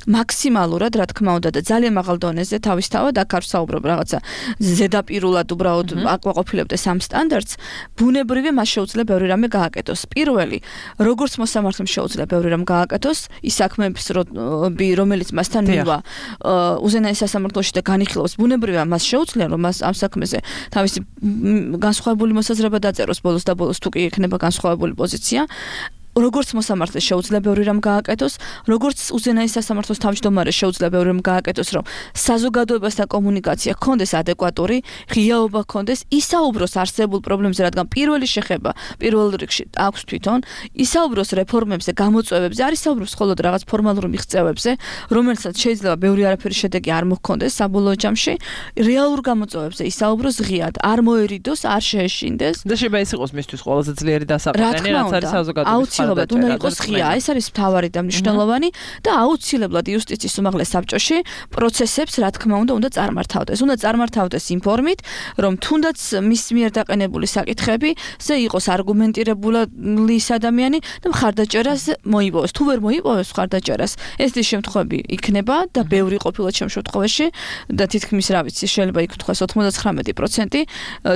მაქსიმალურად, რა თქმა უნდა და ძალიან მაღალ დონეზე თავისთავად აქ არ ვსაუბრობ რაღაცა ზედაპირულად უბრალოდ აკმაყოფილებდეს ამ სტანდარტს, ბუნებრივია მას შეუძლია ბევრი რამე გააკეთოს. პირველი, როგორც მოსამართლემ შეუძლია ბევრი რამ გააკეთოს, ის საქმეების რომელიც მასთან მივა უზენაეს სასამართლოში და განიხილავს, ბუნებრივია მას შეუძლია რომ მას ამ საქმეზე თავისი განსხვავებული მოსაზრება დაწეროს ბოლოს და ბოლოს თუ კი ექნება განსხვავებული პოზიცია. როგორც მოსამართლეს შეუძლია ბევრი რამ გააკეთოს, როგორც უზენაეს სასამართლოს თავმჯდომარეს შეუძლია ბევრი რამ გააკეთოს, რომ საზოგადოებასთან კომუნიკაცია ქონდეს ადეკვატური, ღიაობა ქონდეს, ისაუბროს არსებულ პრობლემებზე, რადგან პირველი შეხება პირველ რიგში აქვს თვითონ, ისაუბროს რეფორმებზე, გამოწვევებზე, არ ისაუბროს მხოლოდ რაღაც ფორმალურ მიღწევებზე, რომელსაც შეიძლება ბევრი არაფერი შედეგი არ მოჰქონდეს საბოლოო ჯამში, რეალურ გამოწვევებზე ისაუბროს ღიად, არ მოერიდოს, არ შეეშინდეს. და შეიძლება ეს იყოს მისთვის ყველაზე ძლიერი დასაყრდენი, რაც არის საზოგადოების აუცილებლად უნდა იყოს ღია, ეს არის მთავარი და მნიშვნელოვანი და აუცილებლად იუსტიციის უმაღლეს საბჭოში პროცესებს, რა თქმა უნდა წარმართავდეს. უნდა წარმართავდეს იმ ფორმით, რომ თუნდაც მის მიერ დაყენებული საკითხებზე იყოს არგუმენტირებული ადამიანი და მხარდაჭერას მოიპოვოს. თუ ვერ მოიპოვოს მხარდაჭერას, ეს ის შემთხვევები იქნება და ბევრი ყოფილა ჩემ შემთხვევაში და თითქმის რა ვიცი, შეიძლება იქ თქვას 99%,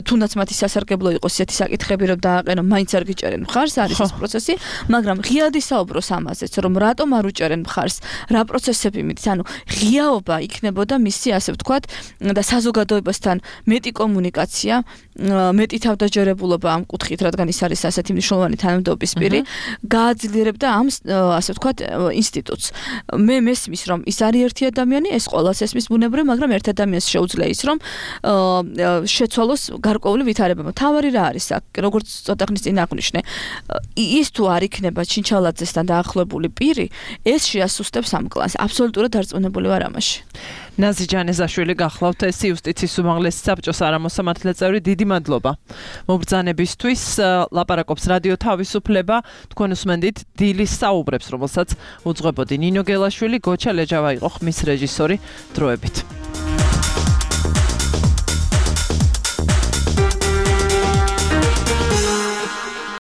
თუნდაც მათი სასარგებლო იყოს ესეთი საკითხები, რომ დააყენო, მაინც არ გიჭერენ მხარს, არის ეს პროცესი, მაგრამ ღიად ისაუბროს ამაზეც, რომ რატომ არ უჭერენ მხარს, რა პროცესები მით, ანუ ღიაობა იქნებოდა მისი, ასე ვთქვათ, და საზოგადოებასთან მეტი კომუნიკაცია, მეტი თავდაჯერებულობა ამ კუთხით, რადგან ის არის ასეთი მნიშვნელოვანი თანამდებობის პირი, გააძლიერებდა ამ, ასე ვთქვათ, ინსტიტუტს. მე მესმის, რომ ის არის ერთი ადამიანი, ეს ყოველას ესმის ბუნებრივ, მაგრამ ერთ ადამიანს შეუძლია ის, რომ შეცვალოს გარკვეული ვითარება. თავარი რა არის აქ, როგორც ცოტა ხნის წინ აღვნიშნე, ის თუ არ იქნება ჩინჩალაძესთან დაახლოებული პირი, ეს შეასუსტებს ამ კლანს. აბსოლუტურად დარწმუნებული ვარ ამაში. ნაზი ჯანეზაშვილი გახლავთ ეს იუსტიციის უმაღლესი საბჭოს არამოსამართლე წევრი, დიდი მადლობა მობრძანებისთვის. ლაპარაკობს რადიო თავისუფლება, თქვენ უსმენდით დილის საუბრებს, რომელსაც უძღვებოდი ნინო გელაშვილი, გოჩა ლეჯავა იყო ხმის რეჟისორი. დროებით.